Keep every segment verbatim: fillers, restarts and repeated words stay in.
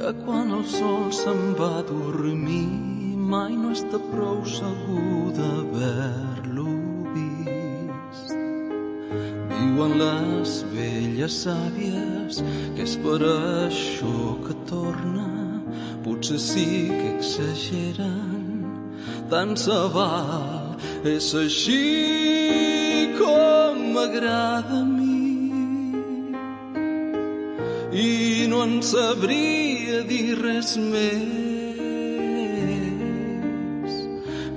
que quan el sol se'n va a dormir mai no està prou segur d'haver-lo vist. Diuen les velles sàvies que és per això que torna, potser sí que exageren, tant se val, és així com m'agrada a mi. I no en sabria dir res més.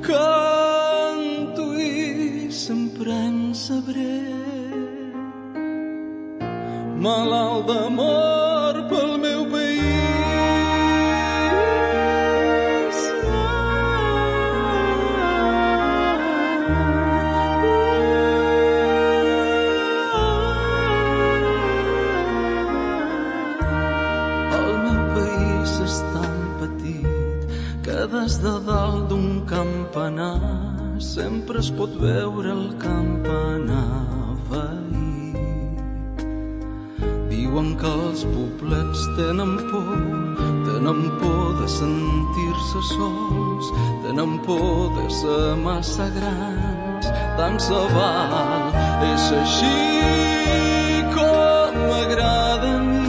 Canto i sempre en sabré, malalt d'amor pel meu país. Des de dalt d'un campanar sempre es pot veure el campanar veí. Diuen que els poblets tenen por, tenen por de sentir-se sols, tenen por de ser massa grans, tant se val, és així com m'agrada a mi.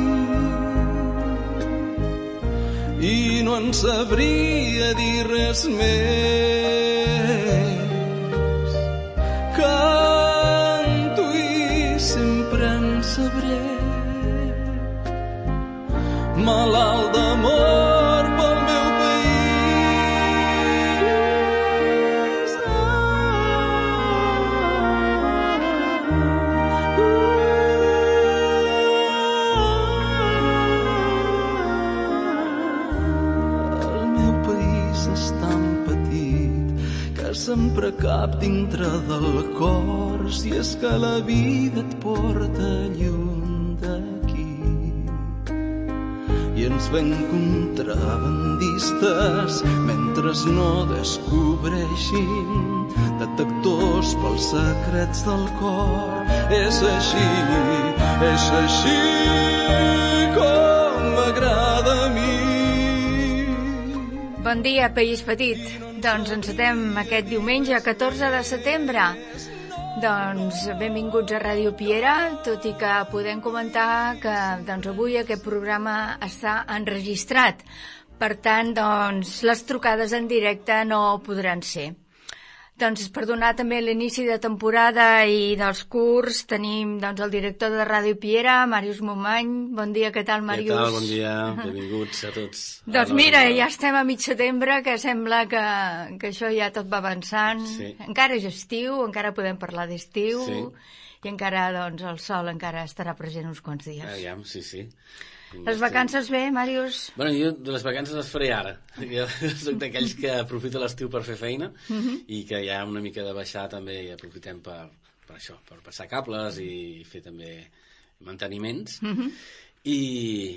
I no en sabria dir res més. Canto i sempre en sabré, malalt d'amor pel meu país. Sempre cap dintre del cor, si és que la vida et porta lluny d'aquí. I ens ven contrabandistes mentre no descobreixin detectors pels secrets del cor. És així, és així com m'agrada a mi. Bon dia, País Petit. Doncs encetem aquest diumenge, catorze de setembre. Doncs benvinguts a Ràdio Piera, tot i que podem comentar que doncs, avui aquest programa està enregistrat. Per tant, doncs, les trucades en directe no podran ser. Doncs per donar també l'inici de temporada i dels curs tenim doncs, el director de Ràdio Piera, Màrius Momany. Bon dia, què tal, Màrius? Què tal, bon dia, benvinguts a tots. Doncs mira, ja estem a mig setembre, que sembla que, que això ja tot va avançant. Sí. Encara és estiu, encara podem parlar d'estiu, sí. I encara doncs, el sol encara estarà present uns quants dies. Aviam, sí, sí. Les vacances bé, Màrius? Bueno, jo de les vacances les faré ara. Jo soc d'aquells que aprofita l'estiu per fer feina uh-huh. i que hi ha una mica de baixar també i aprofitem per, per això, per passar cables i fer també manteniments. Uh-huh. I,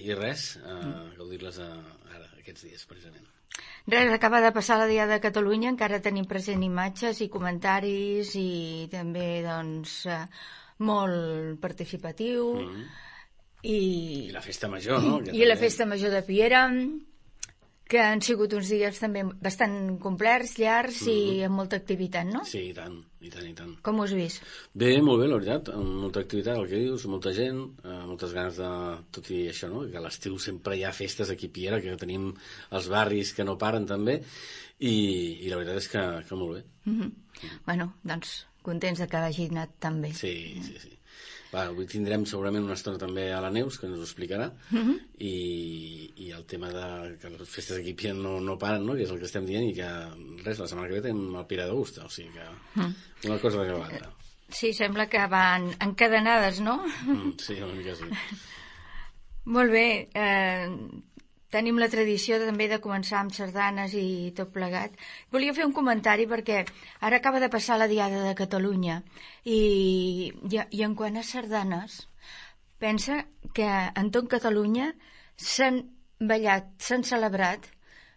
i res, uh, gaudir-les a, ara, aquests dies, precisament. Res, acaba de passar la Diada de Catalunya, encara tenim present imatges i comentaris i també, doncs, uh, molt participatiu. Uh-huh. I, I la festa major, no? I, i la festa major de Piera, que han sigut uns dies també bastant complerts, llargs mm-hmm. i amb molta activitat, no? Sí, i tant, i tant, i tant. Com ho has vist? Bé, molt bé, la veritat, amb molta activitat, el que dius, molta gent, eh, moltes ganes de... Tot i això, no? Que a l'estiu sempre hi ha festes aquí a Piera, que tenim els barris que no paren també, i, i la veritat és que, que molt bé. Mm-hmm. Mm. Bueno, doncs, contents de que hagi anat tan bé. Sí, sí, sí. Va, avui tindrem segurament una estona també a la Neus, que ens ho explicarà, uh-huh. i, i el tema de que les festes aquí a no, no paren, no? Que és el que estem dient, i que res, la setmana que ve tenim el Pira d'Augusta, o sigui que uh-huh. una cosa de l'altra. Sí, sembla que van encadenades, no? Mm, sí, una mica sí. Molt bé, eh, tenim la tradició també de començar amb sardanes i tot plegat. Volia fer un comentari perquè ara acaba de passar la Diada de Catalunya i, i, i en quant a sardanes, pensa que en tot Catalunya s'han ballat, s'han celebrat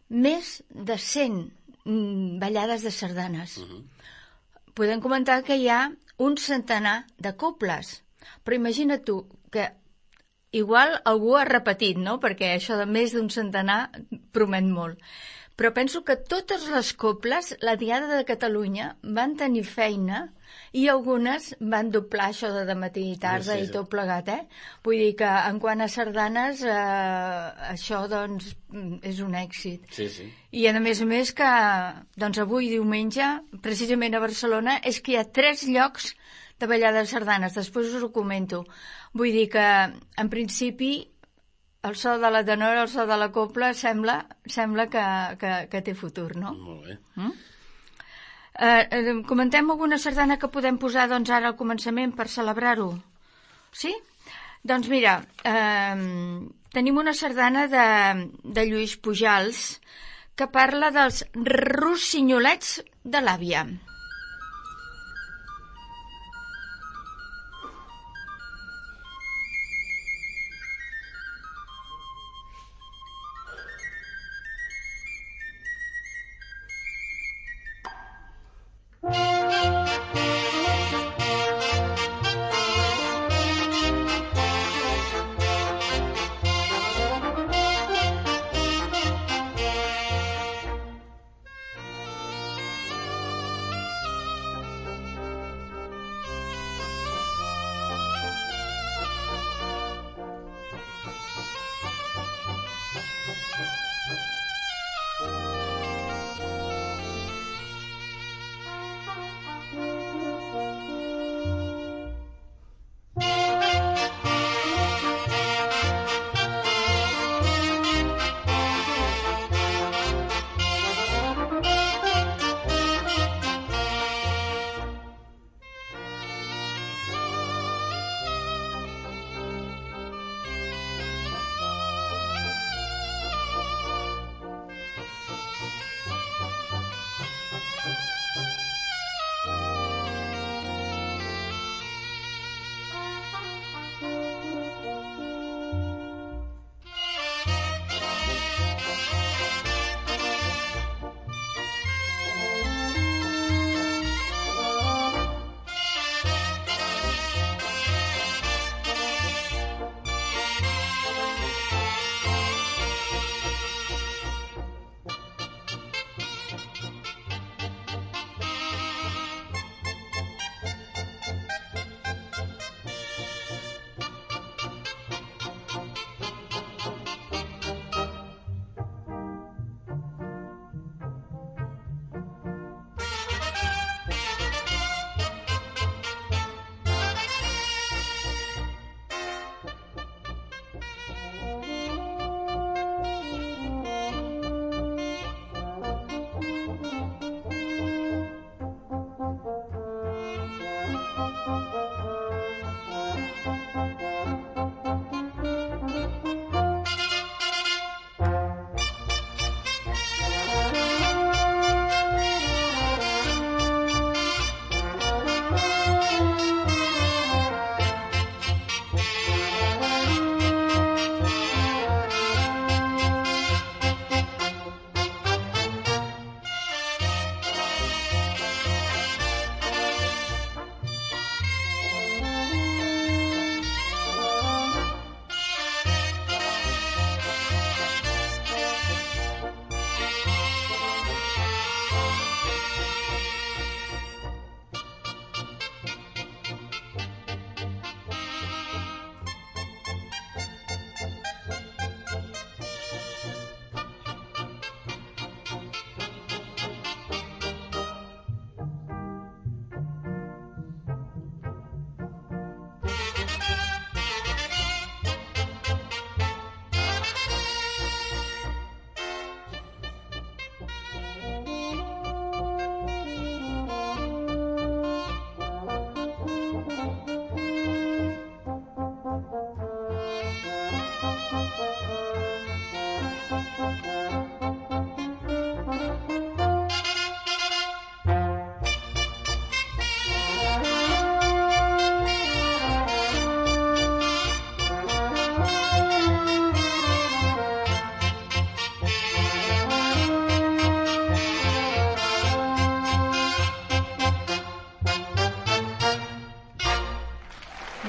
més de cent ballades de sardanes. Uh-huh. Podem comentar que hi ha un centenar de cobles, però imagina't tu que igual algú ha repetit, no? Perquè això de més d'un centenar promet molt. Però penso que totes les cobles, la Diada de Catalunya, van tenir feina i algunes van doblar això de dematí i tarda sí, sí, sí. i tot plegat, eh? Vull dir que en quant a sardanes, eh, això doncs és un èxit. Sí, sí. I a més a més que doncs avui diumenge, precisament a Barcelona, és que hi ha tres llocs de ballada de sardanes, després us ho comento. Vull dir que, en principi, el so de la tenora, el so de la copla, sembla, sembla que, que, que té futur, no? Molt bé. Mm? Eh, comentem alguna sardana que podem posar doncs, ara al començament per celebrar-ho? Sí? Doncs mira, eh, tenim una sardana de, de Lluís Pujals que parla dels rossinyolets de l'àvia.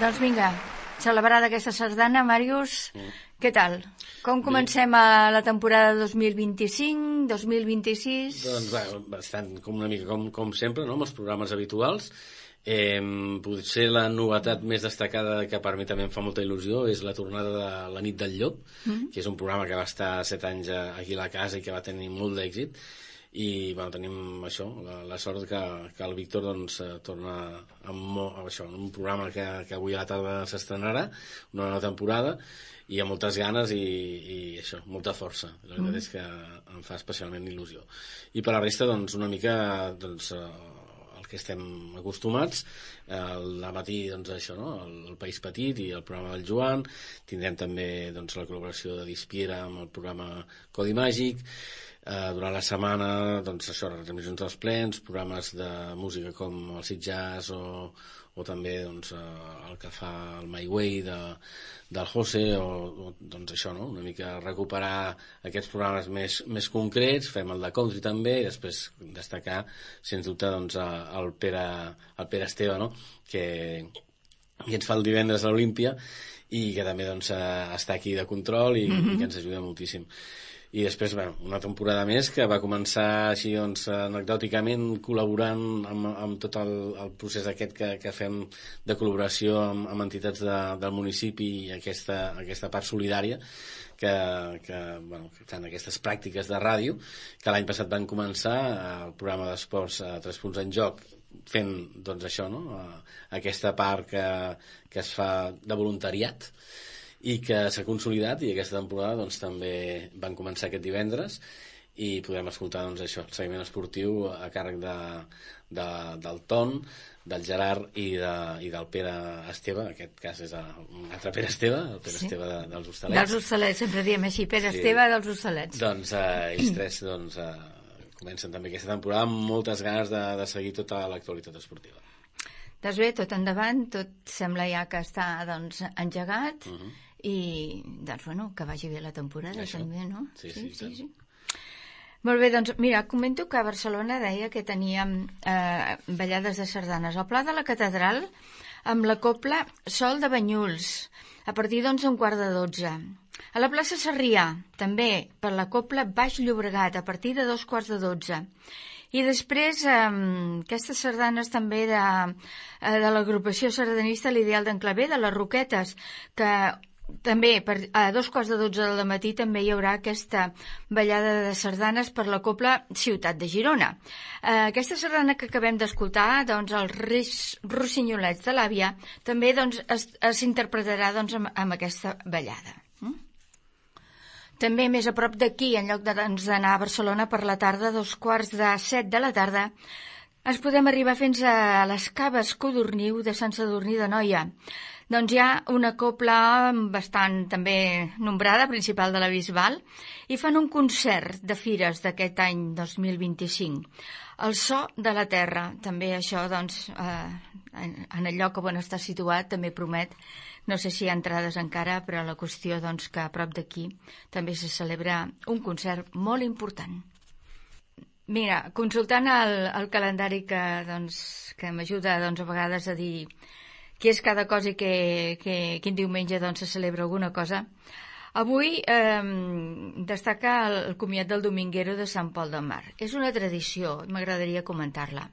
Doncs vinga, celebrada aquesta sardana, Màrius, mm. què tal? Com comencem a la temporada dos mil vint-i-cinc, dos mil vint-i-sis? Doncs bé, bastant com una mica com, com sempre, no?, amb els programes habituals. Eh, potser la novetat més destacada que per mi també em fa molta il·lusió és la tornada de La nit del llop, mm. que és un programa que va estar set anys aquí a la casa i que va tenir molt d'èxit. I bueno, tenim això, la, la sort que, que el Víctor doncs, torna amb, amb, això, amb un programa que, que avui a la tarda s'estrenarà, una nova temporada, i amb moltes ganes i, i això, molta força. La veritat mm. és que em fa especialment il·lusió. I per la resta, doncs, una mica doncs, el que estem acostumats, al matí doncs, això, no? el, el País Petit i el programa del Joan, tindrem també doncs, la col·laboració de Dispiera amb el programa Codi Màgic. Uh, durant la setmana, doncs això, retransmissions dels plens, programes de música com el Sit Jazz o, o també doncs, uh, el que fa el My Way de, del José, o, o doncs això, no? Una mica recuperar aquests programes més, més concrets, fem el de country també, i després destacar, sens dubte, doncs, el Pere, el Pere Esteve, no? que, que ens fa el divendres a l'Olímpia i que també doncs, està aquí de control i, mm-hmm. i que ens ajuda moltíssim. I després, bueno, una temporada més que va començar així, doncs, anecdòticament, col·laborant amb, amb tot el, el procés aquest que, que fem de col·laboració amb, amb entitats de, del municipi i aquesta, aquesta part solidària que, que, bueno, que fan aquestes pràctiques de ràdio, que l'any passat van començar el programa d'esports Tres punts en joc, fent, doncs, això, no?, aquesta part que, que es fa de voluntariat, i que s'ha consolidat, i aquesta temporada doncs, també van començar aquest divendres i podrem escoltar doncs, això, el seguiment esportiu a càrrec de, de, del Ton, del Gerard i, de, i del Pere Esteve. En aquest cas és un altre Pere Esteve, el Pere sí. Esteve de, dels Hostalets. Dels Hostalets, sempre diem així, Pere sí. Esteve dels Hostalets. Doncs eh, ells tres doncs, eh, comencen també aquesta temporada amb moltes ganes de, de seguir tota l'actualitat esportiva. Doncs bé, tot endavant, tot sembla ja que està doncs, engegat, uh -huh. i doncs, bueno, que vagi bé la temporada això. També, no? Sí, sí, sí, sí. Molt bé, doncs mira, comento que a Barcelona deia que teníem eh, ballades de sardanes al Pla de la Catedral amb la cobla Sol de Banyuls a partir doncs un quart de dotze. A la plaça Sarrià també per la cobla Baix Llobregat a partir de dos quarts de dotze. I després, eh, aquestes sardanes també de, eh, de l'agrupació sardanista L'Ideal d'en Clavé, de les Roquetes, que també per, a dos quarts de dotze del matí també hi haurà aquesta ballada de sardanes per la cobla Ciutat de Girona. Eh, aquesta sardana que acabem d'escoltar, doncs, els Reis Rossinyolets de l'Àvia, també doncs, s'interpretarà doncs, amb, amb aquesta ballada. Mm? També més a prop d'aquí, en lloc d'anar doncs, a Barcelona per la tarda, a dos quarts de set de la tarda, ens podem arribar fins a les Caves Codorniu de Sant Sadurní d'Anoia. Doncs hi ha una cobla bastant també nombrada, principal de la Bisbal, i fan un concert de fires d'aquest any dos mil vint-i-cinc. El so de la terra, també això, doncs, eh, en, en el lloc on està situat, també promet. No sé si hi ha entrades encara, però la qüestió, doncs, que a prop d'aquí també se celebra un concert molt important. Mira, consultant el, el calendari que, doncs, que m'ajuda, doncs, a vegades a dir què és cada cosa i que, que, quin diumenge doncs, se celebra alguna cosa. Avui eh, destaca el, el comiat del Dominguero de Sant Pol de Mar. És una tradició, m'agradaria comentar-la.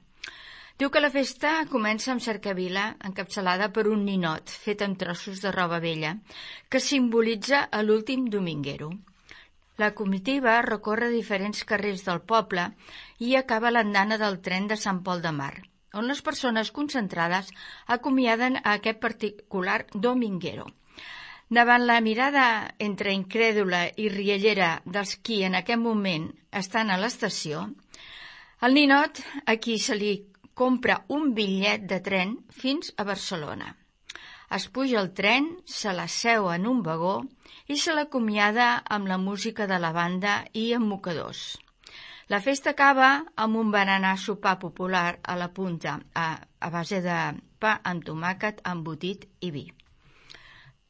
Diu que la festa comença amb cercavila encapçalada per un ninot fet amb trossos de roba vella que simbolitza l'últim Dominguero. La comitiva recorre diferents carrers del poble i acaba a l'andana del tren de Sant Pol de Mar, on les persones concentrades acomiaden a aquest particular Dominguero. Davant la mirada entre incrèdula i riallera dels qui en aquest moment estan a l'estació, el ninot a qui se li compra un bitllet de tren fins a Barcelona. Es puja al tren, se l'asseu en un vagó i se l'acomiada amb la música de la banda i amb mocadors. La festa acaba amb un berenar sopar popular a la punta, a, a base de pa amb tomàquet, embotit i vi.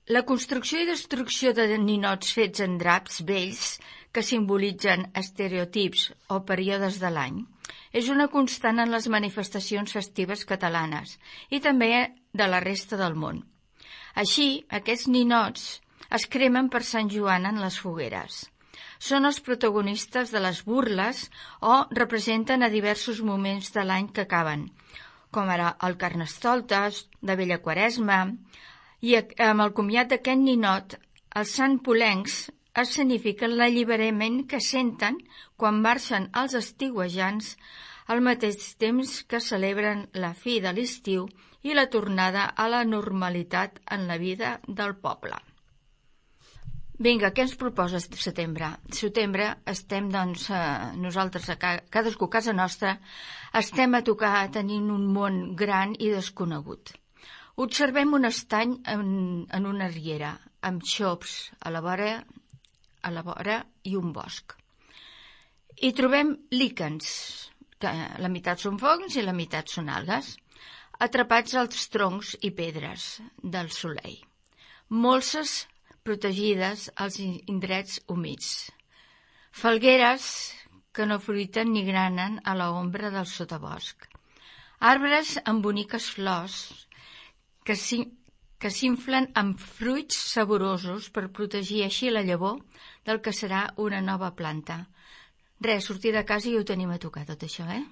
La construcció i destrucció de ninots fets en draps vells que simbolitzen estereotips o períodes de l'any és una constant en les manifestacions festives catalanes i també de la resta del món. Així, aquests ninots es cremen per Sant Joan en les fogueres. Són els protagonistes de les burles o representen a diversos moments de l'any que acaben, com ara el Carnestoltes, de Vella Quaresma, i amb el comiat d'aquest ninot, els santpolencs escenifiquen l'alliberament que senten quan marxen els estiuejants al mateix temps que celebren la fi de l'estiu i la tornada a la normalitat en la vida del poble. Vinga, què ens proposes setembre? Setembre estem, doncs, eh, nosaltres, a ca cadascú a casa nostra, estem a tocar tenint un món gran i desconegut. Observem un estany en, en una riera, amb xops a la vora, a la vora i un bosc. I trobem líquens, que la meitat són fongs i la meitat són algues, atrapats als troncs i pedres del solell. Molses protegides als indrets humits. Falgueres que no fruiten ni granen a l'ombra del sotabosc. Arbres amb boniques flors que s'inflen amb fruits saborosos per protegir així la llavor del que serà una nova planta. Res, sortir de casa i ho tenim a tocar, tot això, eh?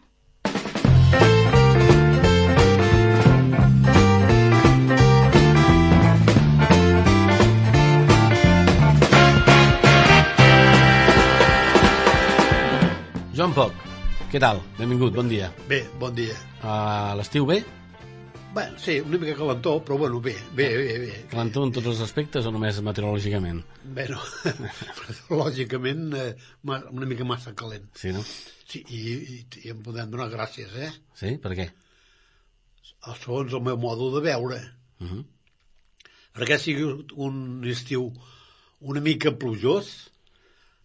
Joan Poc, què tal? Benvingut, bon dia. Bé, bon dia. A l'estiu bé? Bé, sí, una mica calentó, però bueno, bé, bé, bé. bé. Calentó en tots els aspectes o només meteorològicament? Bé, no, lògicament eh, una mica massa calent. Sí, no? Sí, i, i, i em podem donar gràcies, eh? Sí, per què? Segons el meu modo de veure. Uh -huh. Perquè sigui un estiu una mica plujós,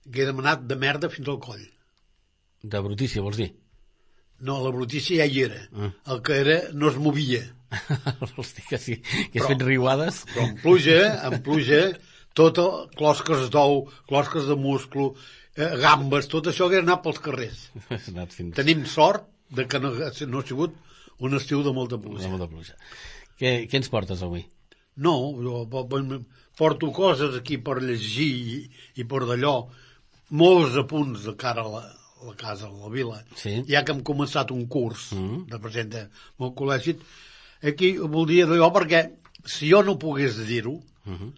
que he demanat de merda fins al coll. De brutícia, vols dir? No, la brutícia ja hi era. Ah. El que era no es movia. Vols dir que sí, que has fet riuades? Però en pluja, en pluja, tot el, closques d'ou, closques de musclo, eh, gambes, tot això que ha anat pels carrers. Fins... Tenim sort de que no, no ha sigut un estiu de molta pluja. De molta pluja. Què, què ens portes avui? No, jo porto coses aquí per llegir i, i per d'allò, molts apunts de cara a la, a la casa, a la vila, sí. Ja que hem començat un curs mm. de presenta molt col·legi, aquí voldria dir jo perquè si jo no pogués dir-ho, uh -huh.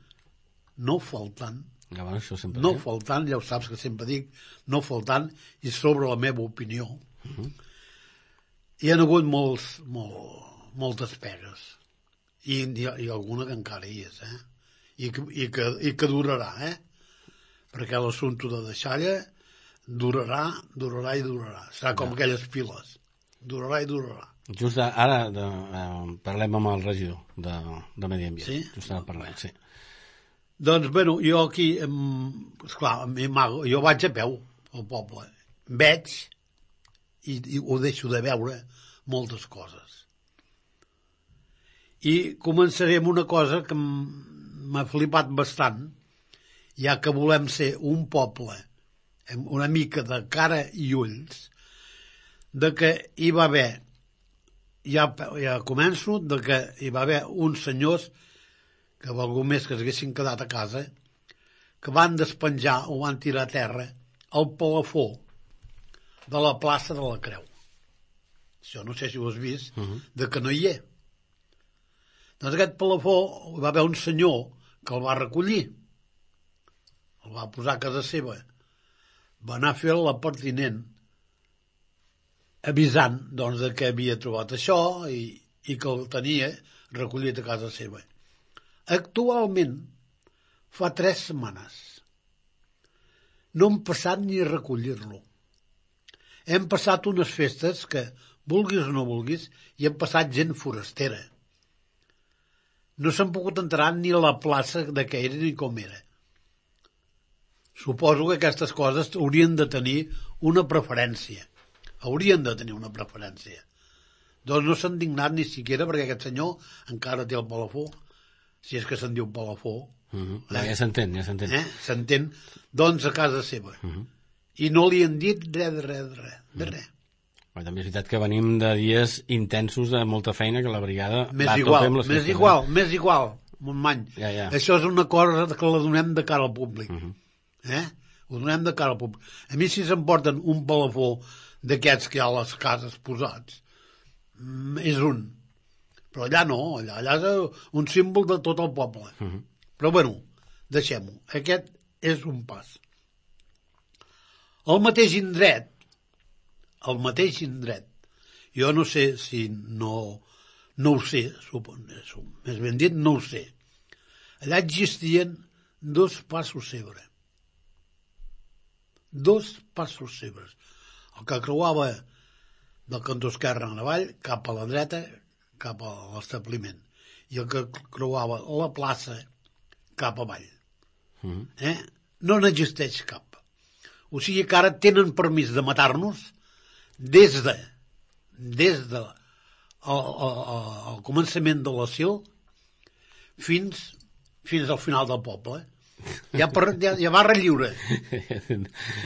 no faltant, ja, bueno, això sempre no eh? faltant, ja ho saps que sempre dic, no faltant, i sobre la meva opinió, uh -huh. hi ha hagut molts, molt, moltes pegues, i, i, i alguna que encara hi és, eh? I que, i que, i que durarà, eh? Perquè l'assumpte de deixalla durarà, durarà i durarà. Serà com ja. Aquelles piles. Durarà i durarà. Just ara de, eh, parlem amb el regidor de, de Medi Ambient. Sí? Just ara parlem, sí. Doncs, bueno, jo aquí, esclar, jo vaig a peu al poble. Veig i, i ho deixo de veure moltes coses. I començaré amb una cosa que m'ha flipat bastant, ja que volem ser un poble amb una mica de cara i ulls, de que hi va haver, ja, ja començo, de que hi va haver uns senyors que algú més que s'haguessin quedat a casa, que van despenjar o van tirar a terra el palafó de la plaça de la Creu. Això no sé si ho has vist, uh-huh. de que no hi és. Doncs aquest palafó hi va haver un senyor que el va recollir, el va posar a casa seva, va anar a fer la pertinent avisant doncs, de que havia trobat això i, i que el tenia recollit a casa seva. Actualment, fa tres setmanes, no hem passat ni a recollir-lo. Hem passat unes festes que, vulguis o no vulguis, hi hem passat gent forastera. No s'han pogut entrar ni a la plaça de què era ni com era. Suposo que aquestes coses haurien de tenir una preferència. Haurien de tenir una preferència. Doncs no s'han dignat ni siquiera perquè aquest senyor encara té el palafó, si és que se'n diu palafó. Uh -huh. eh? Ja s'entén, ja s'entén. Eh? S'entén, doncs a casa seva. Uh -huh. I no li han dit res, de res, de res, de res. Però també és veritat que venim de dies intensos de molta feina, que la brigada més va igual, a tope amb les més festes. Igual, més igual, Montmany. Ja, ja. Això és una cosa que la donem de cara al públic. Uh -huh. Eh? Ho donem de cara al públic. A mi si s'emporten un palafó d'aquests que hi ha a les cases posats, és un. Però allà no, allà, allà és un símbol de tot el poble. Uh -huh. Però bueno, deixem-ho. Aquest és un pas. El mateix indret, el mateix indret, jo no sé si no, no ho sé, suposo, més ben dit, no ho sé. Allà existien dos passos cebre. Dos passos cebres. El que creuava del cantó esquerre en avall cap a la dreta, cap a l'establiment. I el que creuava la plaça cap avall. Mm. Eh? No n'existeix cap. O sigui que ara tenen permís de matar-nos des de des de el, el, el començament de l'asil fins, fins al final del poble. Ja, per, ja, ja barra lliure.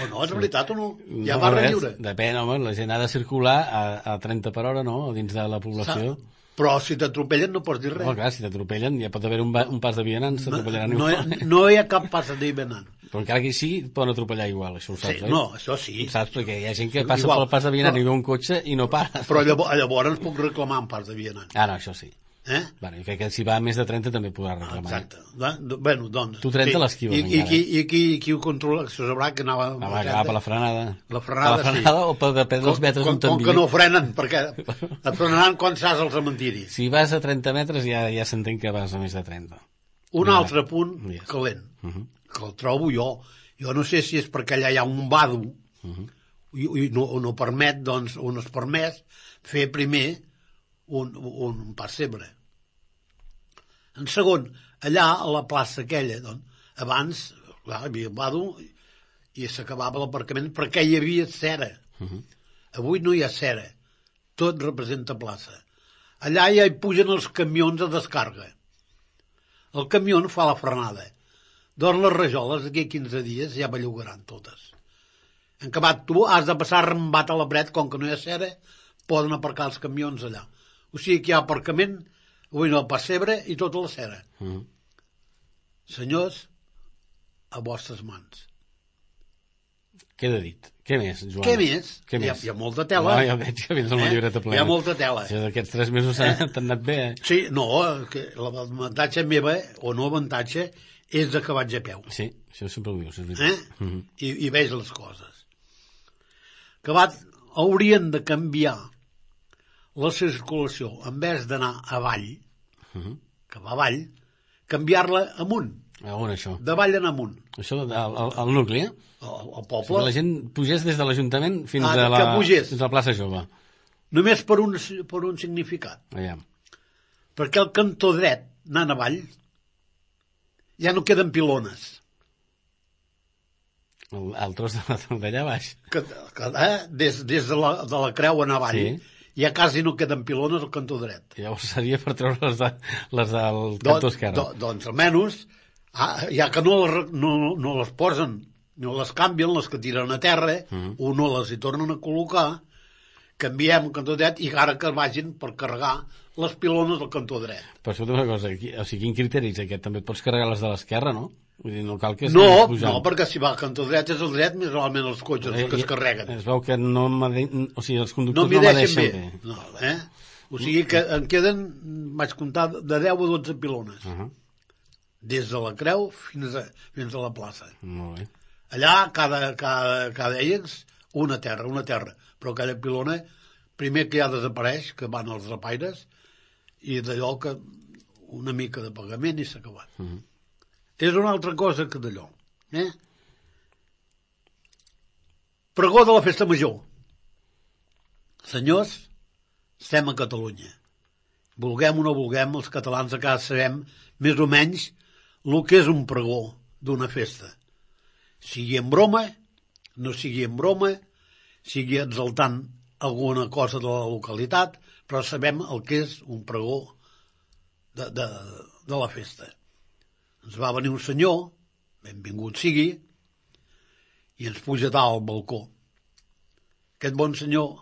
O no, és veritat o no? Ja no, barra res, lliure. Depèn, home, la gent ha de circular a, a trenta per hora, no?, dins de la població. Sa Però si t'atropellen no pots dir res. No, clar, si t'atropellen ja pot haver un, un pas de vianants, s'atropellaran no, igual. No, no hi ha cap pas de vianant. Però encara que sí, poden atropellar igual, això ho saps, sí, oi? No, això sí. Saps? Perquè hi ha gent que passa igual, pel pas de vianant però, i veu un cotxe i no para. Però llavors, llavors puc reclamar un pas de vianant. Ah, no, això sí. Eh? Bueno, i crec que si va a més de trenta també podrà reclamar. Exacte. Bueno, doncs... Tu trenta sí. l'esquives I, encara. I, qui, i qui, qui ho controla? Això sabrà que anava... Ah, va, agafar la frenada. La frenada, la frenada sí. O per depèn dels metres com, on t'envia. Com que no frenen, perquè et frenaran quan saps el cementiri. Si vas a trenta metres ja ja s'entén que vas a més de trenta. Un ja. altre punt yes. calent, uh -huh. que el trobo jo. Jo no sé si és perquè allà hi ha un vado uh -huh. i, i no, no permet, doncs, o no es permet fer primer un, un pas cebre. En segon, allà a la plaça aquella, doncs, abans clar, hi havia un vado i s'acabava l'aparcament perquè hi havia cera. Uh -huh. Avui no hi ha cera. Tot representa plaça. Allà ja hi pugen els camions a descarga. El camió fa la frenada. Doncs les rajoles d'aquí a quinze dies ja bellugaran totes. En acabat, tu has de passar rembat a la bret, com que no hi ha cera, poden aparcar els camions allà. O sigui que hi ha aparcament, avui no, el pessebre i tota la cera. Uh -huh. Senyors, a vostres mans. Queda dit. Què més, Joan? Què més? Què hi, ha, més? hi ha molta tela. No, ja veig que vens amb la llibreta plena. Hi ha molta tela. Això d'aquests tres mesos eh? t'han anat bé, eh? Sí, no, que l'avantatge meva, o no avantatge, és de que vaig a peu. Sí, això sempre ho dius, és veritat. Eh? Uh -huh. I, I veig les coses. Que va, haurien de canviar la circulació, en vez d'anar avall, uh -huh. que va avall, canviar-la amunt. A on, això? Davall en amunt. Això, al nucli, eh? El, el poble. O sigui, la gent pugés des de l'Ajuntament fins, ah, a la, fins a la plaça Jove. Només per un, per un significat. Allà. Perquè el cantó dret, anant avall, ja no queden pilones. El, el tros d'allà baix. Que, que, eh? Des, des de, la, de la creu en avall, sí. Ja quasi no queden pilones al cantó dret. Llavors seria per treure les, de, les del cantó esquerre. Do, doncs almenys, ah, ja que no les, no, no les posen, no les canvien, les que tiren a terra, uh -huh. o no les hi tornen a col·locar, canviem el cantó dret i ara que vagin per carregar les pilones al cantó dret. Però escolta una cosa, o sigui, quin criteri és aquest? També et pots carregar les de l'esquerra, no? Vull dir, no cal que... No, no, perquè si va al cantó dret és el dret, més normalment els cotxes eh, que es carreguen. Es veu que no o sigui, els conductors no m'hi no deixen bé. bé. No, eh? O sigui que en queden, vaig comptar, de deu a dotze pilones. Uh -huh. Des de la creu fins a, fins a la plaça. Molt bé. Allà, cada, cada, cada ells, una terra, una terra. Però cada pilona, primer que ja desapareix, que van els rapaires, i d'allò que una mica de pagament i s'ha acabat. Uh -huh. És una altra cosa que d'allò. Eh? Pregó de la festa major. Senyors, estem a Catalunya. Vulguem o no vulguem, els catalans a casa sabem més o menys el que és un pregó d'una festa. Sigui en broma, no sigui en broma, sigui exaltant alguna cosa de la localitat, però sabem el que és un pregó de, de, de la festa. Ens va venir un senyor, benvingut sigui, i ens puja dalt al balcó. Aquest bon senyor,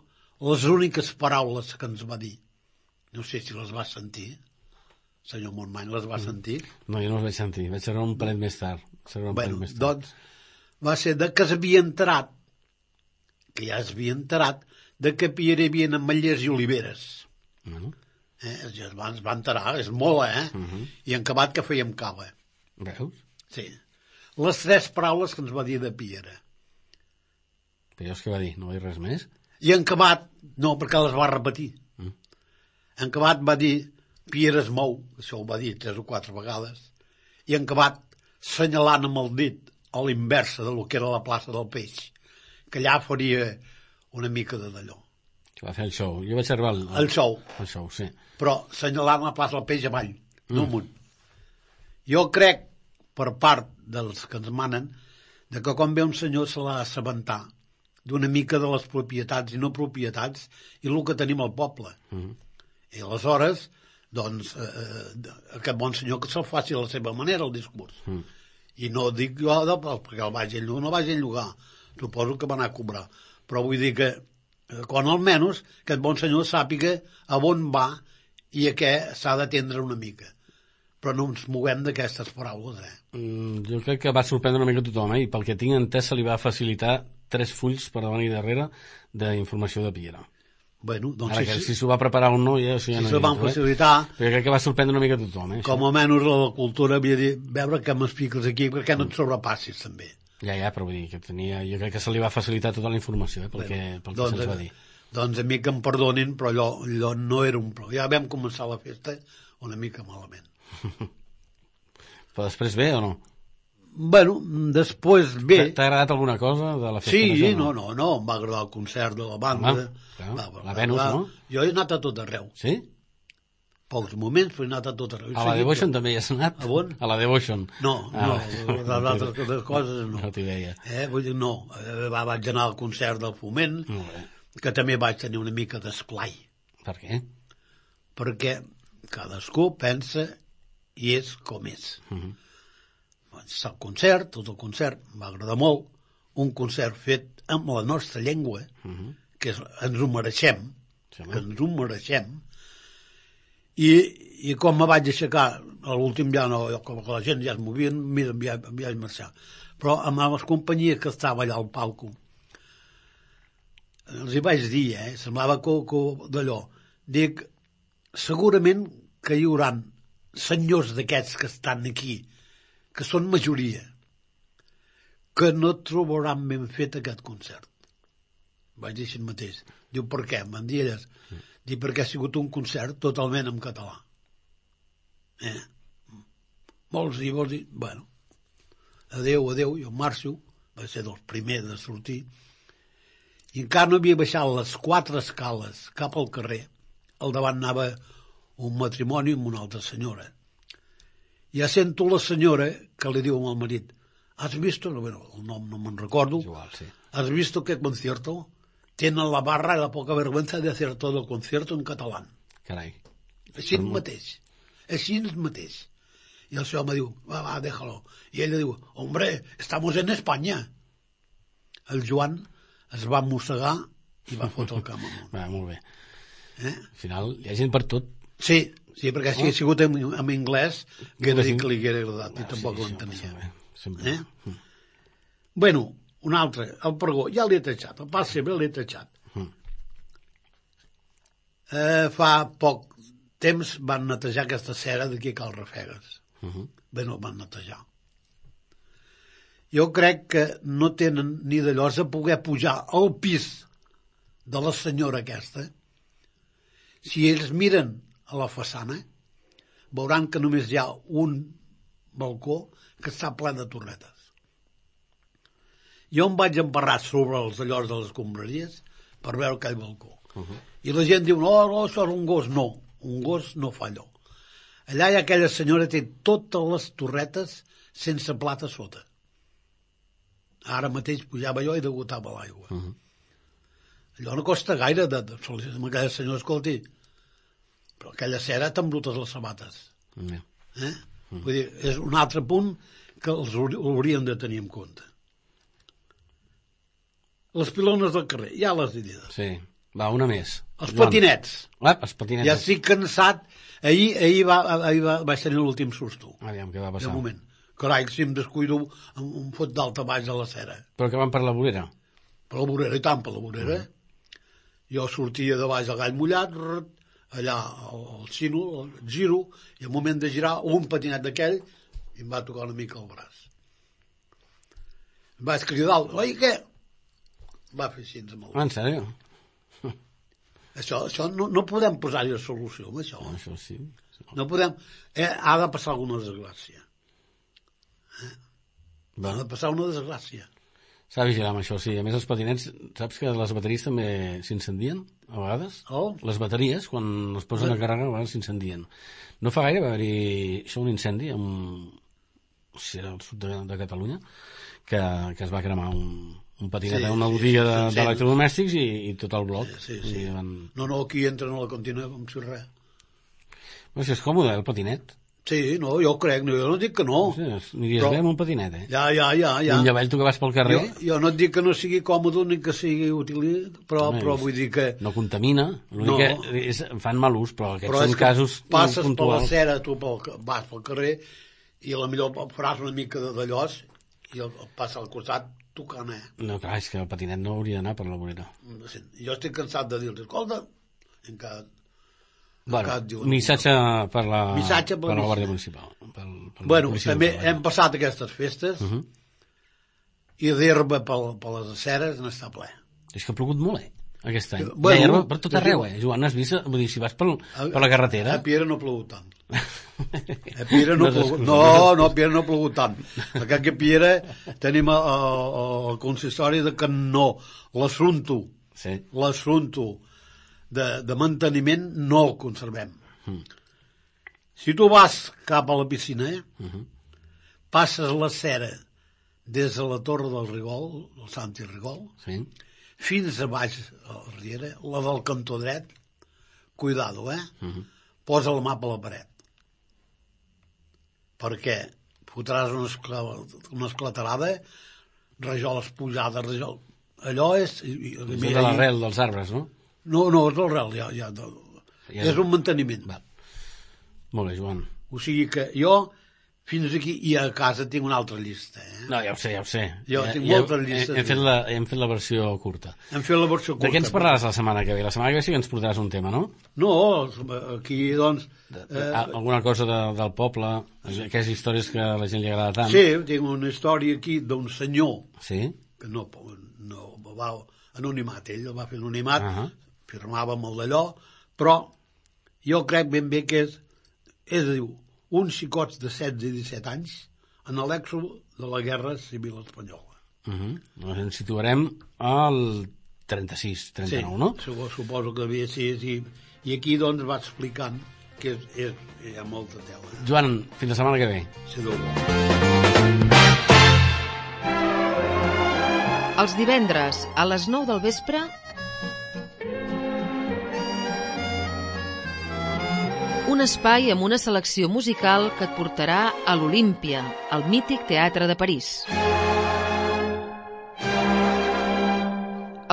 les úniques paraules que ens va dir, no sé si les va sentir, senyor Montmany, les va sentir? No, jo no els vaig sentir, vaig saber un parell més tard. Un Bueno, més tard. doncs, va ser de que s'havia enterat, que ja s'havia enterat, de que a Piera hi havia ametllers i oliveres. Bueno, Eh? Ja es va, es va enterar, és molt, eh? uh -huh. I en acabat que fèiem cava. Veus? Sí. Les tres paraules que ens va dir de Piera. Però jo és que va dir, no va dir res més? I en acabat, no, perquè les va repetir. Mm. En acabat va dir, Piera es mou, això ho va dir tres o quatre vegades, i en acabat, senyalant amb el dit a l'inversa de lo que era la plaça del Peix, que allà faria una mica de d'allò. Que va fer el show. Jo vaig arribar al... El show. El show, sí. Però senyalant la plaça del Peix avall, Mm. no amunt. Jo crec, per part dels que ens manen, de que quan ve un senyor se l'ha d'assabentar d'una mica de les propietats i no propietats i el que tenim al poble. Mm. I aleshores, doncs, eh, aquest bon senyor que se'l faci a la seva manera, el discurs. Mm. I no dic jo de, perquè el vagi a llogar, no vagi a llogar. Suposo que va anar a cobrar. Però vull dir que, eh, quan almenys, aquest bon senyor sàpiga a on va i a què s'ha d'atendre una mica. Però no ens moguem d'aquestes paraules, eh? Mm, jo crec que va sorprendre una mica tothom, eh? I pel que tinc entès se li va facilitar tres fulls per davant i darrere d'informació de Piera. Bueno, doncs Ara sí, que sí, si s'ho va preparar o no, ja, això ja si no se hi van entro, facilitar, eh? Però jo crec que va sorprendre una mica tothom, eh? com això. almenys la cultura havia de veure què m'expliques aquí, perquè no et sobrepassis, també. Ja, ja, però vull dir que tenia... Jo crec que se li va facilitar tota la informació, eh? Pel que, pel que doncs, se'ns va dir. Doncs a mi que em perdonin, però allò, allò no era un problema. Ja vam començar la festa una mica malament. Però després bé o no? Bueno, després bé. T'ha agradat alguna cosa de la festa Sí, major? no, no, no, em va agradar el concert de la banda. Home, clar, va, va, la va, Venus, va. no? Jo he anat a tot arreu. Sí? Pocs moments, però he anat a tot arreu. He A la seguit Devotion tot. també hi has anat? A on? A la Devotion. No, Ah, no, les altres coses no. No t'hi veia. Eh, vull dir, no, eh, va, vaig anar al concert del Foment, Molt bé. que també vaig tenir una mica d'esplai, Per què? perquè cadascú pensa i és com és. Uh -huh. El concert, tot el concert, em va agradar molt, un concert fet amb la nostra llengua, Uh -huh. que és, ens ho mereixem, Sí, home. que ens ho mereixem, i, i quan me vaig aixecar, a l'últim ja no, com que la gent ja es movia, mira, ja, ja vaig marxar. Però amb les companyies que estava allà al palco, els hi vaig dir, eh, semblava que, que d'allò, dic, segurament que hi haurà senyors d'aquests que estan aquí, que són majoria, que no trobaran ben fet aquest concert. Vaig dir així mateix. Diu, per què? Em dir elles. Mm. Diu, perquè ha sigut un concert totalment en català. Eh? Vols dir, vols dir... Bueno, adeu, adeu, jo marxo, vaig ser dels primers de sortir, i encara no havia baixat les quatre escales cap al carrer. Al davant anava un matrimoni amb una altra senyora. Ja sento la senyora que li diu al marit, ¿has visto? No, bueno, el nom no me'n recordo. Igual, sí. ¿Has visto qué concierto? Tienen la barra y la poca vergüenza de hacer todo el concierto en catalán. Carai. Així mateix. Així mateix. I el seu home diu, va, va, déjalo. I ella diu, hombre, estamos en España. El Joan es va mossegar i va fotre el camp amunt. Va, molt bé. Eh? Al final hi ha gent per tot. Sí, sí, perquè si Oh. ha sigut en, en anglès, que era Sí. dir que li hagués agradat, i Ah, tampoc sí, ho sí, entenia. home, sempre. Eh? Bueno, un altre, el pregó, ja l'he tachat, el pas sempre l'he tachat. Mm. Eh, fa poc temps van netejar aquesta cera d'aquí a Cal Rafegues. Uh -huh. Bé, no van netejar. Jo crec que no tenen ni d'allò de poder pujar al pis de la senyora aquesta. Si ells miren a la façana, veuran que només hi ha un balcó que està ple de torretes. Jo em vaig embarrar sobre els allòs de les escombraries per veure aquell balcó. Uh -huh. I la gent diu, no, no, això és un gos. No, un gos no fa allò. Allà hi ha aquella senyora que té totes les torretes sense plata sota. Ara mateix pujava jo i degotava l'aigua. Uh -huh. Allò no costa gaire de, de sol·licitar a aquella senyora, escolti, però aquella cera t'embrutes les sabates. Uh -huh. Eh? Uh -huh. Vull dir, és un altre punt que els haurien de tenir en compte. Les pilones del carrer, ja les he dit. Sí. Va, una més. Els Joan. patinets. Ah, els patinets. Ja estic cansat. Ahir, ahir, va, ahir va, vaig tenir l'últim susto. Aviam, què va passar? De moment. Carai, si em descuido, em, em fot d'alta baix a la cera. Però que van per la vorera? Per la vorera, i tant per la vorera. Mm. Jo sortia de baix al gall mullat, rrrt, allà al, al xino, el giro, i al moment de girar, un patinet d'aquell, i em va tocar una mica el braç. Em vaig cridar, oi, què? Va fer així amb el... Ah, en sèrio? Això, això no, no podem posar-hi solució, amb això. Això sí. No podem... Eh, ha de passar alguna desgràcia. Eh? Va. Ha de passar una desgràcia. S'ha de vigilar amb això, sí. A més, els patinets, saps que les bateries també s'incendien, a vegades? Oh. Les bateries, quan es posen a càrrega, a vegades s'incendien. No fa gaire va haver-hi això, un incendi, amb... o sigui, al sud de, de Catalunya, que, que es va cremar un... un patinet sí, a una sí, botiga sí, de, sí, d'electrodomèstics i, i tot el bloc. Sí, sí, sí. Van... No, no, aquí entren a la cantina com si res. Però si és còmode, el patinet. Sí, no, jo crec, no, jo no dic que no. Sí, aniries però... bé amb un patinet, eh? Ja, ja, ja. ja. Un llavell, tu que vas pel carrer... Jo, jo no et dic que no sigui còmode ni que sigui útil, però, Home, però vull dir que... No contamina, l'únic No. que és, fan mal ús, però aquests però són és que casos passes per la puntuals. cera, tu pel, vas pel carrer i a la millor faràs una mica de d'allòs i el, el passa al costat tocant, eh? No, clar, és que el patinet no hauria d'anar per la vorera. Jo estic cansat de dir-los, escolta, encara... Bueno, encara et diuen, missatge per la, Missatge per per la la Guàrdia Municipal. Pel, pel Bueno, policia també local. hem passat aquestes festes Uh -huh. i d'herba per, per les aceres n'està ple. És que ha plogut molt, eh, aquest any. Bueno, Bueno, herba per tot es arreu, diu- eh, Joan, has vist? Vull dir, si vas per, per la carretera... A Piera no ha plogut tant. A Piera no, No no, plogut, s'excusa, no, no, a Piera no ha plogut tant. Perquè aquí a Piera tenim el, el, el consistori de que no, l'assumpto, Sí. l'assumpto de, de manteniment no el conservem. Mm. Si tu vas cap a la piscina, eh, Uh -huh. passes la cera des de la Torre del Rigol, el Santi Rigol, Sí. fins a baix a Riera, la del cantó dret, cuidado, eh? Uh -huh. Posa la mà per la paret. Perquè fotràs una, escla, una esclatarada, rajoles pujades, rajol... Allò és... i- i- És de l'arrel dels arbres, no? No, no, és l'arrel, ja, ja, de, Ja. és un manteniment. Va. Molt bé, Joan. O sigui que jo, fins aquí, i a casa tinc una altra llista, eh? No, ja ho sé, ja ho sé. Jo ja, tinc ja, moltes llistes. Hem, hem, fet la, hem fet la versió curta. Hem fet la versió curta. De què ens parlaràs la setmana que ve? La setmana que ve sí que ens portaràs un tema, no? No, aquí, doncs... Eh, Alguna cosa de, del poble, aquelles històries que a la gent li agrada tant. Sí, tinc una història aquí d'un senyor Sí? que no, no va anonimat, ell el va fer anonimat, Uh -huh. firmava amb el d'allò, però jo crec ben bé que és, és a dir, uns xicots de setze i disset anys en l'èxode de la Guerra Civil Espanyola. Uh -huh. Doncs ens situarem al trenta-sis, trenta-nou, sí, no? Suposo, suposo que devia ser així. I aquí, doncs, va explicant que és, és, hi ha molta tela. Eh? Joan, fins la setmana que ve. Si Déu vol. Els divendres, a les nou del vespre, un espai amb una selecció musical que et portarà a l'Olímpia, al mític Teatre de París.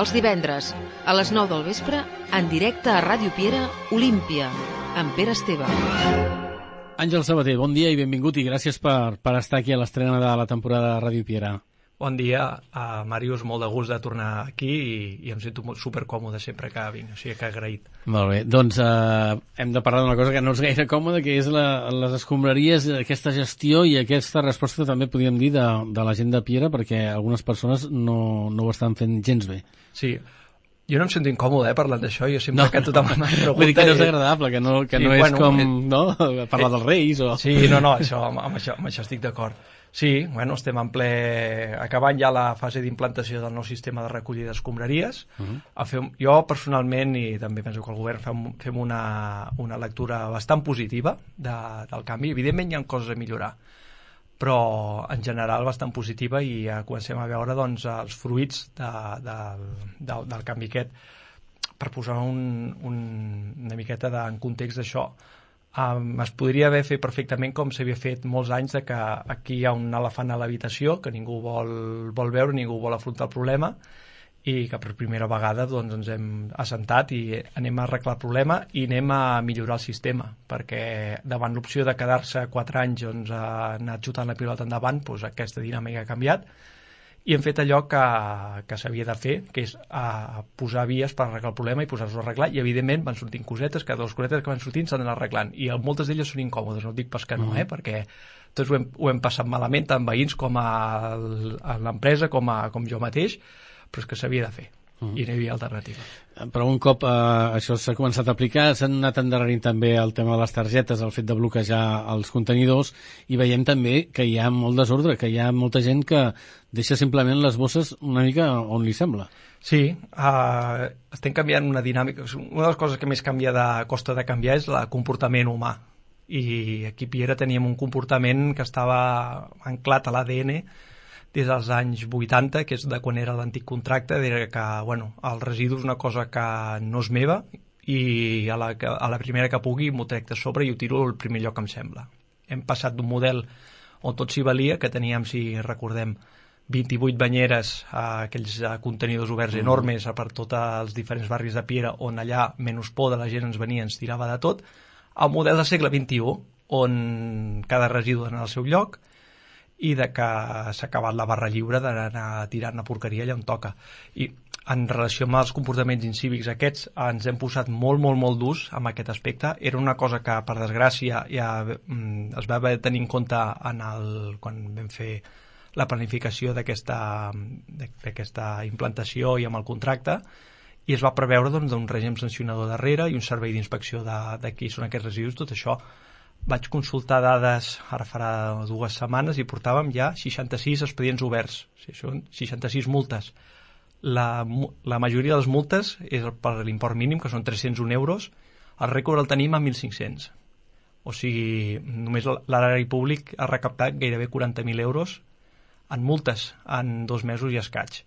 Els divendres, a les nou del vespre, en directe a Ràdio Piera, Olímpia, amb Pere Esteve. Àngel Sabater, bon dia i benvingut i gràcies per, per estar aquí a l'estrena de la temporada de Ràdio Piera. Bon dia, uh, Màrius, molt de gust de tornar aquí i, i em sento supercòmode sempre que vinc, o sigui que agraït. Molt bé, doncs eh, hem de parlar d'una cosa que no és gaire còmoda, que és la, les escombraries, aquesta gestió i aquesta resposta també podríem dir de, de la gent de Piera, perquè algunes persones no, no ho estan fent gens bé. Sí, jo no em sento incòmode eh, parlant d'això, jo sempre no. que tothom m'ha preguntat... Vull dir que no és agradable, que no, que sí, no és bueno, com eh, no? parlar eh, dels reis o... Sí, no, no, això, amb, amb, això, amb això estic d'acord. Sí, bueno, estem en ple... acabant ja la fase d'implantació del nou sistema de recollida d'escombraries. Uh -huh. a fer, jo personalment, i també penso que el govern, fem, fem una, una lectura bastant positiva de, del canvi. Evidentment hi ha coses a millorar, però en general bastant positiva i ja comencem a veure doncs, els fruits de, de, de, del canvi aquest. Per posar un, un, una miqueta de, en context d'això, Um, es podria haver fet perfectament com s'havia fet molts anys, de que aquí hi ha un elefant a l'habitació que ningú vol, vol veure, ningú vol afrontar el problema, i que per primera vegada doncs, ens hem assentat i anem a arreglar el problema i anem a millorar el sistema, perquè davant l'opció de quedar-se quatre anys doncs, a anar xutant la pilota endavant, doncs aquesta dinàmica ha canviat i hem fet allò que, que s'havia de fer, que és a posar vies per arreglar el problema i posar-nos a arreglar, i evidentment van sortint cosetes, que dues cosetes que van sortint s'han d'anar arreglant, i moltes d'elles són incòmodes, no dic pas que no, eh? Perquè tots ho hem, ho hem passat malament, tant veïns com a, a l'empresa, com, a, com jo mateix, però és que s'havia de fer, uh-huh. i no hi havia alternativa. Però un cop eh, això s'ha començat a aplicar, s'han anat endarrerint també el tema de les targetes, el fet de bloquejar els contenidors, i veiem també que hi ha molt desordre, que hi ha molta gent que deixa simplement les bosses una mica on li sembla. Sí, uh, estem canviant una dinàmica. Una de les coses que més canvia de costa de canviar és el comportament humà. I aquí a Piera teníem un comportament que estava anclat a l'A D N des dels anys vuitanta, que és de quan era l'antic contracte, de que bueno, el residu és una cosa que no és meva i a la, a la primera que pugui m'ho trec de sobre i ho tiro al primer lloc que em sembla. Hem passat d'un model on tot s'hi valia, que teníem, si recordem, vint-i-vuit banyeres, eh, aquells eh, contenidors oberts mm. enormes per tots els diferents barris de Piera, on allà, menys por de la gent ens venia, ens tirava de tot, al model del segle vint-i-u, on cada residu en el seu lloc, i de que s'ha acabat la barra lliure d'anar tirant la porqueria allà on toca. I en relació amb els comportaments incívics aquests, ens hem posat molt, molt, molt durs amb aquest aspecte. Era una cosa que, per desgràcia, ja mm, es va haver de tenir en compte en el, quan vam fer la planificació d'aquesta d'aquesta implantació i amb el contracte, i es va preveure doncs, un règim sancionador darrere i un servei d'inspecció de, de qui són aquests residus. Tot això vaig consultar dades ara farà dues setmanes i portàvem ja seixanta-sis expedients oberts, o sigui, són seixanta-sis multes. La, la majoria de les multes és per l'import mínim, que són tres-cents un euros. El rècord el tenim a mil cinc-cents. O sigui, només l'erari públic ha recaptat gairebé quaranta mil euros en multes en dos mesos i escaig.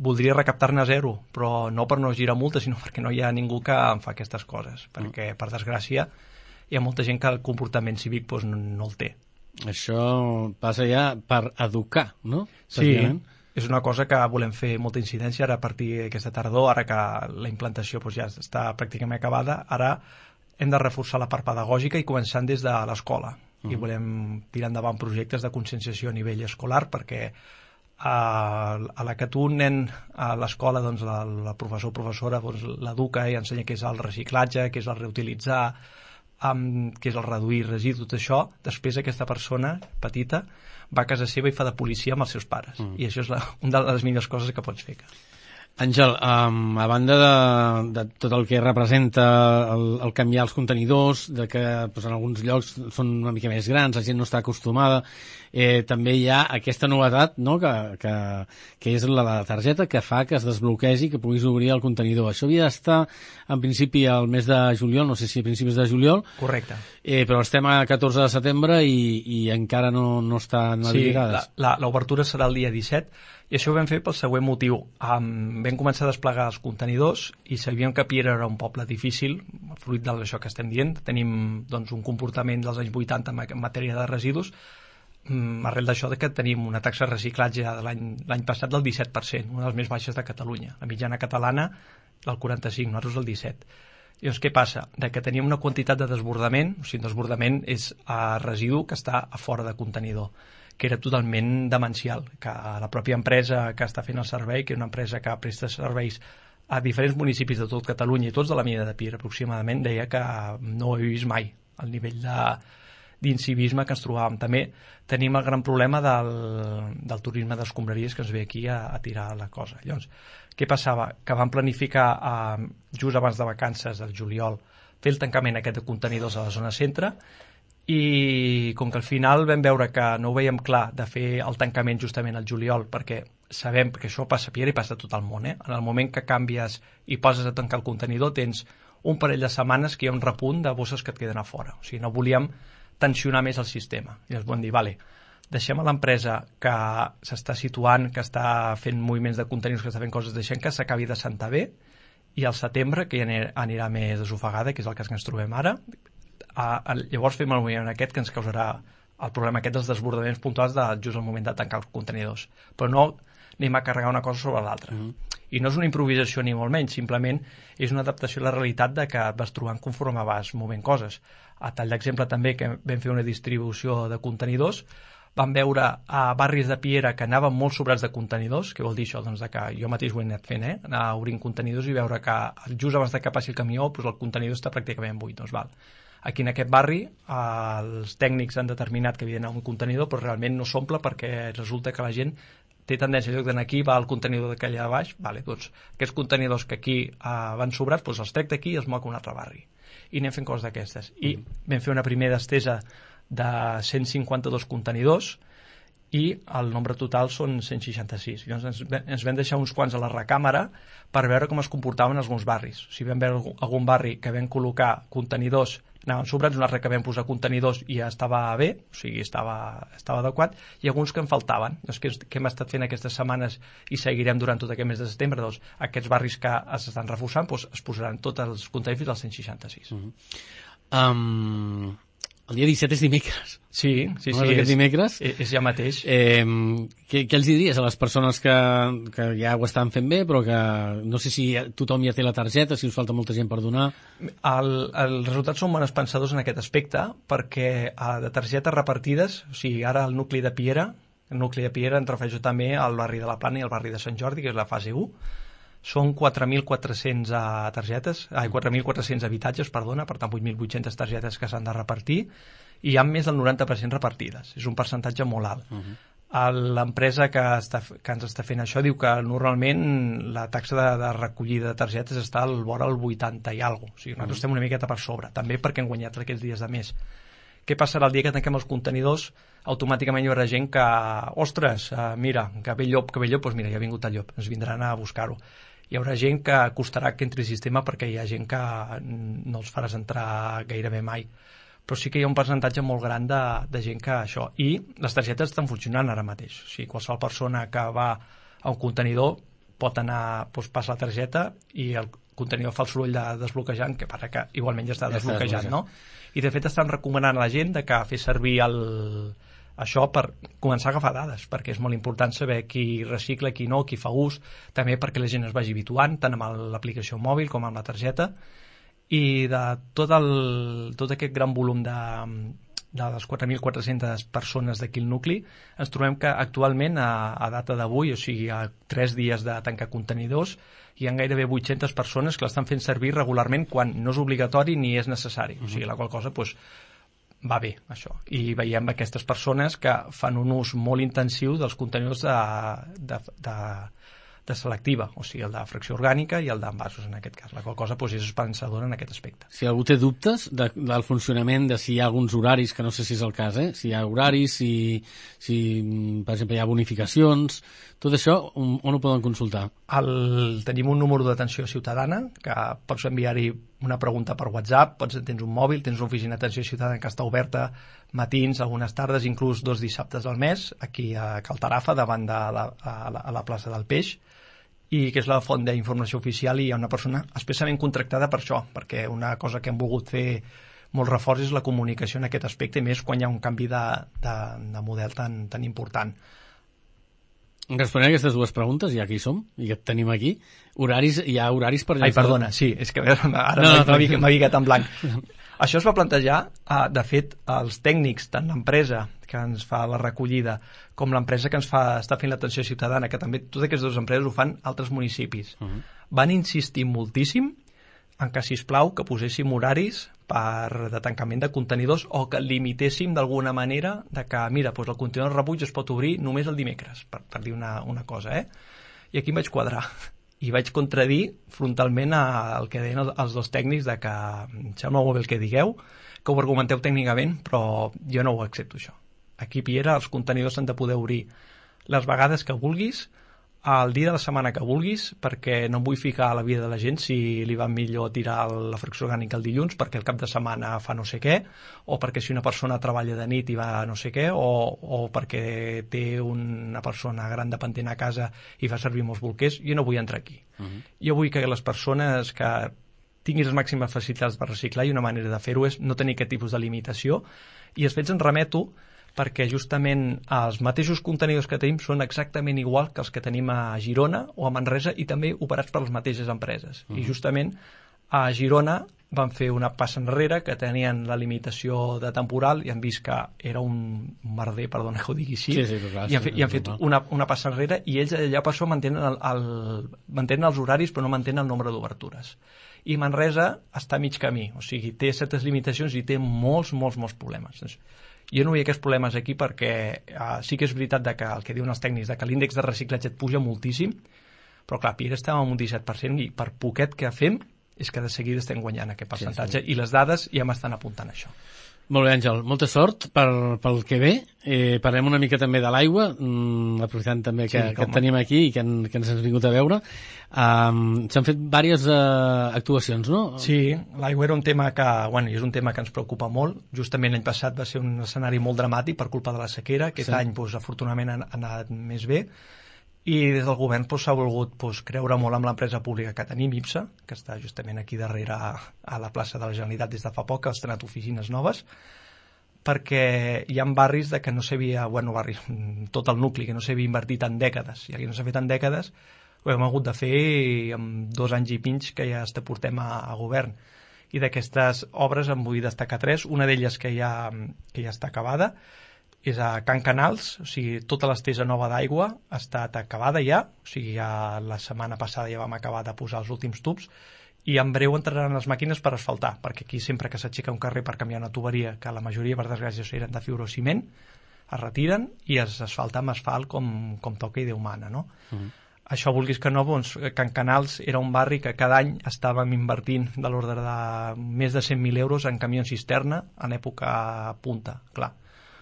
Voldria recaptar-ne zero, però no per no girar multes, sinó perquè no hi ha ningú que em fa aquestes coses, perquè, per desgràcia, hi ha molta gent que el comportament cívic doncs, no, no el té. Això passa ja per educar, no? Sí, és una cosa que volem fer molta incidència ara a partir d'aquesta tardor, ara que la implantació doncs, ja està pràcticament acabada. Ara hem de reforçar la part pedagògica i començant des de l'escola. Uh-huh. I volem tirar endavant projectes de conscienciació a nivell escolar, perquè a, a la que tu un nen a l'escola, doncs, la, la professor o professora doncs, l'educa i ensenya què és el reciclatge, què és el reutilitzar, Um, que és el reduir residus, tot això, després aquesta persona petita va a casa seva i fa de policia amb els seus pares. Mm. I això és la, una de les millors coses que pots fer. Àngel, um, a banda de, de tot el que representa el, el canviar els contenidors, de que pues, en alguns llocs són una mica més grans, la gent no està acostumada, eh, també hi ha aquesta novetat, no?, que, que, que és la, la targeta que fa que es desbloquegi, que puguis obrir el contenidor. Això havia d'estar, en principi, al mes de juliol, no sé si a principis de juliol. Correcte. Eh, però estem a catorze de setembre i, i encara no, no estan habilitades. Sí, l'obertura serà el dia disset, i això ho vam fer pel següent motiu. Um, vam començar a desplegar els contenidors i sabíem que Piera era un poble difícil, fruit d'això que estem dient. Tenim doncs, un comportament dels anys vuitanta en matèria de residus, um, arrel d'això de que tenim una taxa de reciclatge de l'any passat del disset per cent, una de les més baixes de Catalunya. La mitjana catalana del quaranta-cinc, nosaltres el disset. Llavors, què passa? De que teníem una quantitat de desbordament, o sigui, desbordament és a residu que està a fora de contenidor, que era totalment demencial, que la pròpia empresa que està fent el servei, que és una empresa que presta serveis a diferents municipis de tot Catalunya i tots de la mida de Piera aproximadament, deia que no ho he vist mai el nivell d'incivisme que ens trobàvem. També tenim el gran problema del, del turisme d'escombraries que ens ve aquí a, a tirar la cosa. Llavors, què passava? Que vam planificar eh, just abans de vacances, del juliol, fer el tancament aquest de contenidors a la zona centre, i com que al final vam veure que no ho veiem clar de fer el tancament justament al juliol, perquè sabem que això passa a Piera i passa a tot el món, eh? En el moment que canvies i poses a tancar el contenidor tens un parell de setmanes que hi ha un repunt de bosses que et queden a fora. O sigui, no volíem tensionar més el sistema. I ens vam dir, vale, deixem a l'empresa que s'està situant, que està fent moviments de contenidors, que està fent coses, deixem que s'acabi de sentar bé, i al setembre, que ja anirà més desofegada, que és el cas que ens trobem ara, A, a, llavors fem el moviment aquest que ens causarà el problema aquest dels desbordaments puntuals de just al moment de tancar els contenidors. Però no, anem a carregar una cosa sobre l'altra. Uh -huh. I no és una improvisació ni molt menys, simplement és una adaptació a la realitat de que et vas trobant conforme vas movent coses. A tall d'exemple també que vam fer una distribució de contenidors, vam veure a barris de Piera que anaven molt sobrats de contenidors, que vol dir això, doncs, de que jo mateix ho he anat fent, eh? Anar obrint contenidors i veure que just abans de que passi el camió doncs el contenidor està pràcticament buit. Doncs val. Aquí en aquest barri eh, els tècnics han determinat que havia d'anar un contenidor, però realment no s'omple perquè resulta que la gent té tendència, en lloc d'anar aquí, va al contenidor d'aquella de baix, vale, doncs aquests contenidors que aquí eh, van sobrats, doncs els trec d'aquí i els moc a un altre barri. I anem fent coses d'aquestes. I mm. vam fer una primera estesa de cent cinquanta-dos contenidors i el nombre total són cent seixanta-sis. Llavors ens, ens vam deixar uns quants a la recàmera per veure com es comportaven alguns barris. Si vam veure algun barri que vam col·locar contenidors, anaven sobrats, un altre que vam posar contenidors i ja estava bé, o sigui, estava, estava adequat, i alguns que en faltaven. Doncs què, què hem estat fent aquestes setmanes i seguirem durant tot aquest mes de setembre? Doncs aquests barris que s'estan reforçant doncs es posaran tots els contenidors fins als cent seixanta-sis. Uh-huh. um... El dia disset és dimecres. Sí, sí, no sí. És dimecres. És, és ja mateix. Eh, què, què els diries a les persones que, que ja ho estan fent bé, però que no sé si tothom ja té la targeta, si us falta molta gent per donar? El, els resultats són bones pensadors en aquest aspecte, perquè de targetes repartides, o sigui, ara el nucli de Piera, el nucli de Piera en refereixo també al barri de la Plana i al barri de Sant Jordi, que és la fase u, són quatre mil quatre-cents targetes, ai, quatre mil quatre-cents habitatges, perdona, per tant vuit mil vuit-centes targetes que s'han de repartir, i hi ha més del noranta per cent repartides. És un percentatge molt alt. Uh-huh. L'empresa que, està, que ens està fent això diu que normalment la taxa de, de recollida de targetes està al vora el vuitanta i alguna cosa. O sigui, nosaltres uh-huh. estem una miqueta per sobre, també perquè hem guanyat aquests dies de més. Què passarà el dia que tanquem els contenidors? Automàticament hi haurà gent que, ostres, uh, mira, que ve llop, que ve llop, doncs mira, ja ha vingut el llop, ens vindran a buscar-ho. Hi haurà gent que costarà que entri al sistema perquè hi ha gent que no els faràs entrar gairebé mai. Però sí que hi ha un percentatge molt gran de, de gent que això. I les targetes estan funcionant ara mateix. O sigui, qualsevol persona que va a un contenidor pot anar, doncs passa la targeta i el contenidor fa el soroll de desbloquejant, que para que igualment ja està ja desbloquejant, no? I de fet estan recomanant a la gent de que fer servir el... això per començar a agafar dades, perquè és molt important saber qui recicla, qui no, qui fa ús, també perquè la gent es vagi habituant, tant amb l'aplicació mòbil com amb la targeta, i de tot, el, tot aquest gran volum de, de les quatre mil quatre-centes persones d'aquí al nucli, ens trobem que actualment, a, a data d'avui, o sigui, a tres dies de tancar contenidors, hi ha gairebé vuit-centes persones que l'estan fent servir regularment quan no és obligatori ni és necessari, o sigui, la qual cosa, doncs, va bé, això. I veiem aquestes persones que fan un ús molt intensiu dels contenidors de, de, de, de selectiva, o sigui, el de fracció orgànica i el d'envasos, en aquest cas. La qual cosa doncs, és esperançadora en aquest aspecte. Si algú té dubtes de, del funcionament, de si hi ha alguns horaris, que no sé si és el cas, eh? Si hi ha horaris, si, si per exemple, hi ha bonificacions, tot això, on, on ho poden consultar? El, tenim un número d'atenció ciutadana, que pots enviar-hi una pregunta per WhatsApp, pots, tens un mòbil, tens una oficina d'atenció ciutadana que està oberta matins, algunes tardes, inclús dos dissabtes al mes, aquí a Cal Tarafa, davant de la, a la, a la plaça del Peix, i que és la font d'informació oficial, i hi ha una persona especialment contractada per això, perquè una cosa que hem volgut fer molt reforç és la comunicació en aquest aspecte, i més quan hi ha un canvi de, de, de model tan, tan important. Responent a aquestes dues preguntes, ja que hi som, i que et tenim aquí, horaris, hi ha horaris per... Ai, perdona, sí, és que ara no, no, m'ha no, ficat en blanc. Això es va plantejar, de fet, els tècnics, tant l'empresa que ens fa la recollida com l'empresa que ens fa, està fent l'atenció ciutadana, que també totes aquestes dues empreses ho fan altres municipis. Uh -huh. Van insistir moltíssim en que, sisplau, que poséssim horaris per de tancament de contenidors o que limitéssim d'alguna manera de que, mira, doncs el contenidor de rebuig es pot obrir només el dimecres, per, per dir una, una cosa, eh? I aquí em vaig quadrar i vaig contradir frontalment el que deien els, els dos tècnics de que em sembla molt bé el que digueu, que ho argumenteu tècnicament, però jo no ho accepto, això. Aquí a Piera els contenidors s'han de poder obrir les vegades que vulguis, el dia de la setmana que vulguis, perquè no em vull ficar a la vida de la gent si li va millor tirar la fracció orgànica el dilluns perquè el cap de setmana fa no sé què, o perquè si una persona treballa de nit i va no sé què, o, o perquè té una persona gran dependent a casa i fa servir molts bolquers. Jo no vull entrar aquí. Uh-huh. Jo vull que les persones que tinguin les màximes facilitats per reciclar, i una manera de fer-ho és no tenir aquest tipus de limitació, i els fets en remeto perquè justament els mateixos contenidors que tenim són exactament igual que els que tenim a Girona o a Manresa i també operats per les mateixes empreses. Uh-huh. I justament a Girona van fer una passa enrere, que tenien la limitació de temporal i han vist que era un merder, perdona que ho digui així, sí, sí, clar, i han, fet, i han fet una, una passa enrere i ells allà per això mantenen, el, el, mantenen els horaris però no mantenen el nombre d'obertures. I Manresa està a mig camí, o sigui, té certes limitacions i té molts, molts, molts problemes. Doncs, jo no vull aquests problemes aquí perquè uh, sí que és veritat de que el que diuen els tècnics, de que l'índex de reciclatge et puja moltíssim, però clar, Piera estem amb un disset per cent i per poquet que fem és que de seguida estem guanyant aquest percentatge, sí, sí. I les dades ja m'estan apuntant això. Molt bé, Àngel, molta sort per, pel que ve. Eh, parlem una mica també de l'aigua, mm, aprofitant també que, sí, que et tenim aquí i que, en, que ens has vingut a veure. Um, S'han fet diverses uh, actuacions, no? Sí, l'aigua era un tema que, bueno, és un tema que ens preocupa molt. Justament l'any passat va ser un escenari molt dramàtic per culpa de la sequera. Aquest sí. any, doncs, afortunadament, ha anat més bé. I des del govern s'ha doncs, volgut doncs, creure molt amb l'empresa pública que tenim, IPSA, que està justament aquí darrere a, a la plaça de la Generalitat des de fa poc, que ha estrenat oficines noves, perquè hi ha barris de que no s'havia, bueno, barris, tot el nucli, que no s'havia invertit en dècades, i aquí no s'ha fet en dècades, ho hem hagut de fer amb dos anys i mig que ja està portem a, a govern. I d'aquestes obres en vull destacar tres, una d'elles que ja, que ja està acabada, és a Can Canals, o sigui, tota l'estesa nova d'aigua ha estat acabada ja, o sigui, ja la setmana passada ja vam acabar de posar els últims tubs, i en breu entraran les màquines per asfaltar, perquè aquí sempre que s'aixeca un carrer per canviar una tuberia, que la majoria, per desgràcia, eren de fibrociment, es retiren i es asfalta amb asfalt com, com toca i Déu mana, no? Uh-huh. Això, vulguis que no, doncs, Can Canals era un barri que cada any estàvem invertint de l'ordre de més de cent mil euros en camions cisterna en època punta, clar.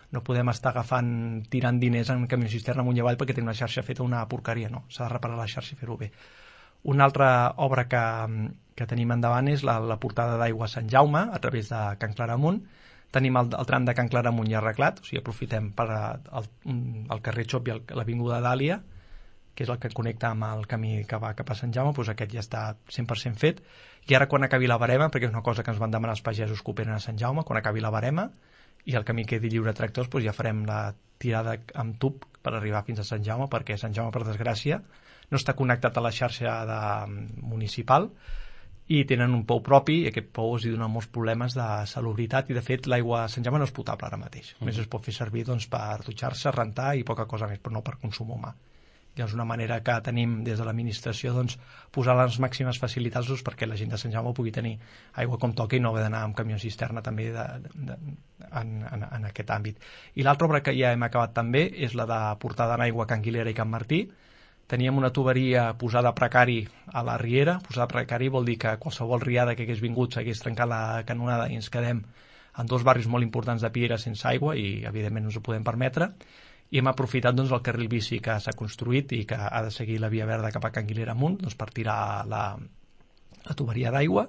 No podem estar agafant, tirant diners en camió cisterna amunt i avall perquè tenim una xarxa feta una porqueria, no. S'ha de reparar la xarxa i fer-ho bé. Una altra obra que, que tenim endavant és la, la portada d'aigua a Sant Jaume, a través de Can Claramunt. Tenim el, el tram de Can Claramunt ja arreglat, o sigui, aprofitem per el, el carrer Xop i l'avinguda Dàlia, que és el que connecta amb el camí que va cap a Sant Jaume, doncs aquest ja està cent per cent fet. I ara, quan acabi la barema, perquè és una cosa que ens van demanar els pagesos que operen a Sant Jaume, quan acabi la barema, i el camí quedi lliure a tractors, doncs ja farem la tirada amb tub per arribar fins a Sant Jaume, perquè Sant Jaume, per desgràcia, no està connectat a la xarxa de, municipal i tenen un pou propi i aquest pou els dona molts problemes de salubritat i, de fet, l'aigua a Sant Jaume no és potable ara mateix. Mm. Només es pot fer servir doncs, per dutxar-se, rentar i poca cosa més, però no per consum humà. Llavors, una manera que tenim des de l'administració doncs, posar les màximes facilitats doncs, perquè la gent de Sant Jaume pugui tenir aigua com toca i no haver d'anar amb camió cisterna també de, de, de, en, en, en aquest àmbit. I l'altra obra que ja hem acabat també és la de portada en aigua a Can Guilera i Can Martí. Teníem una tuberia posada a precari a la riera. Posada a precari vol dir que qualsevol riada que hagués vingut s'hagués trencat la canonada i ens quedem en dos barris molt importants de Piera sense aigua i evidentment no ens ho podem permetre. I hem aprofitat doncs, el carril bici que s'ha construït i que ha de seguir la via verda cap a Can Guilera amunt doncs, per tirar la, la tuberia d'aigua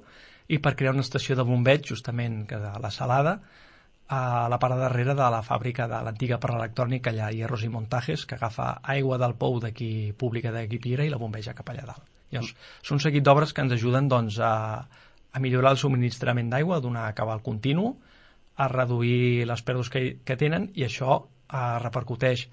i per crear una estació de bombeig justament que de la Salada a la part darrere de la fàbrica de l'antiga parla electrònica allà a Hierros i Montajes, que agafa aigua del pou d'aquí pública d'aquí Piera i la bombeja cap allà dalt. Llavors, són un seguit d'obres que ens ajuden doncs, a, a millorar el subministrament d'aigua, a donar cabal continu, a reduir les pèrdues que, que tenen i això eh, repercuteix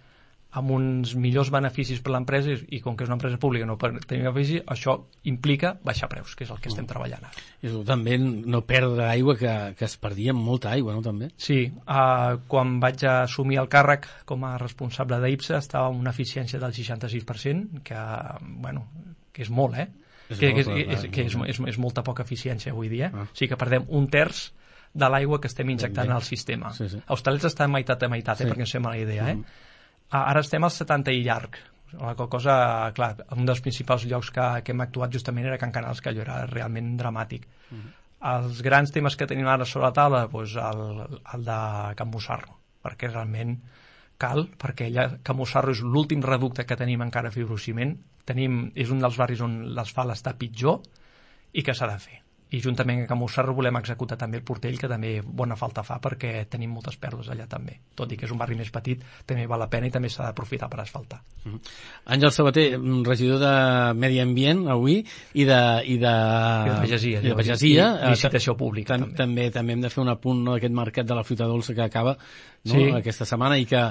amb uns millors beneficis per l'empresa i, i com que és una empresa pública no per tenir beneficis, això implica baixar preus, que és el que estem treballant ara. I també no perdre aigua, que, que es perdia molta aigua, no, també? Sí, eh, quan vaig assumir el càrrec com a responsable d'IPSA estava amb una eficiència del seixanta-sis per cent, que, bueno, que és molt, eh? És que, molt, que, és, és, que és, és, és molta poca eficiència avui dia. Ah. O sigui que perdem un terç de l'aigua que estem injectant al sistema. Sí, sí. A Hostalets està meitat a meitat, eh, sí. perquè ens fem la idea, eh? Mm. Ara estem al setanta i llarg. La cosa, clar, un dels principals llocs que, que hem actuat justament era Can Canals, que allò era realment dramàtic. Mm. Els grans temes que tenim ara sobre la taula, doncs el, el de Can Mussarro, perquè realment cal, perquè allà Can Mussarro és l'últim reducte que tenim encara a fibrociment. Tenim, és un dels barris on l'asfalt està pitjor i que s'ha de fer. I juntament amb Can Mussarro volem executar també el Portell, que també bona falta fa perquè tenim moltes pèrdues allà també. Tot i que és un barri més petit, també val la pena i també s'ha d'aprofitar per asfaltar. Mm. Àngel Sabater, regidor de Medi Ambient avui i de, i de, I de Pagesia. I de Pagesia. I licitació pública. Tam, també. també. També hem de fer un apunt, no, d'aquest mercat de la fruita dolça que acaba no? Sí. Aquesta setmana, i que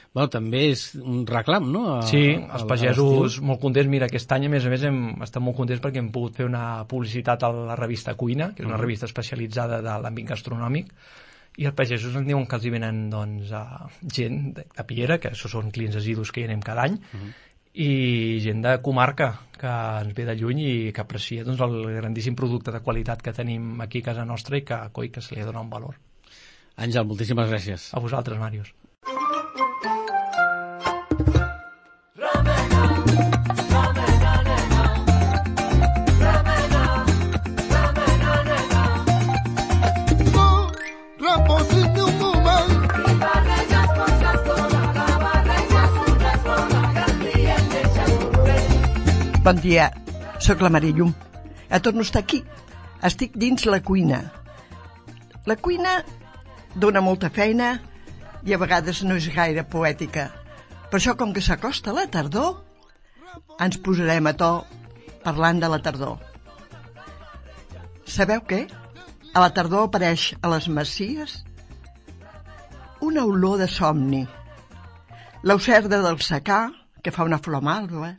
bueno, també és un reclam, no? A, sí, a, els pagesos molt contents. Mira, aquest any, a més a més, hem estat molt contents perquè hem pogut fer una publicitat a la revista Cuina, que és una uh-huh. revista especialitzada de l'àmbit gastronòmic, i els pagesos ens diuen que els hi venen doncs, a gent de, de Piera, que això són clients assidus que hi anem cada any, uh-huh. i gent de comarca que ens ve de lluny i que aprecia doncs, el grandíssim producte de qualitat que tenim aquí a casa nostra i que, coi, que se li dona un valor. Àngel, moltíssimes gràcies. A vosaltres, Màrius. Bon dia, sóc la Marillum. Ja torno a estar aquí. Estic dins la cuina. La cuina dona molta feina i a vegades no és gaire poètica. Per això, com que s'acosta la tardor, ens posarem a to parlant de la tardor. Sabeu què? A la tardor apareix a les masies una olor de somni. L'aucerda del secà, que fa una flor malva,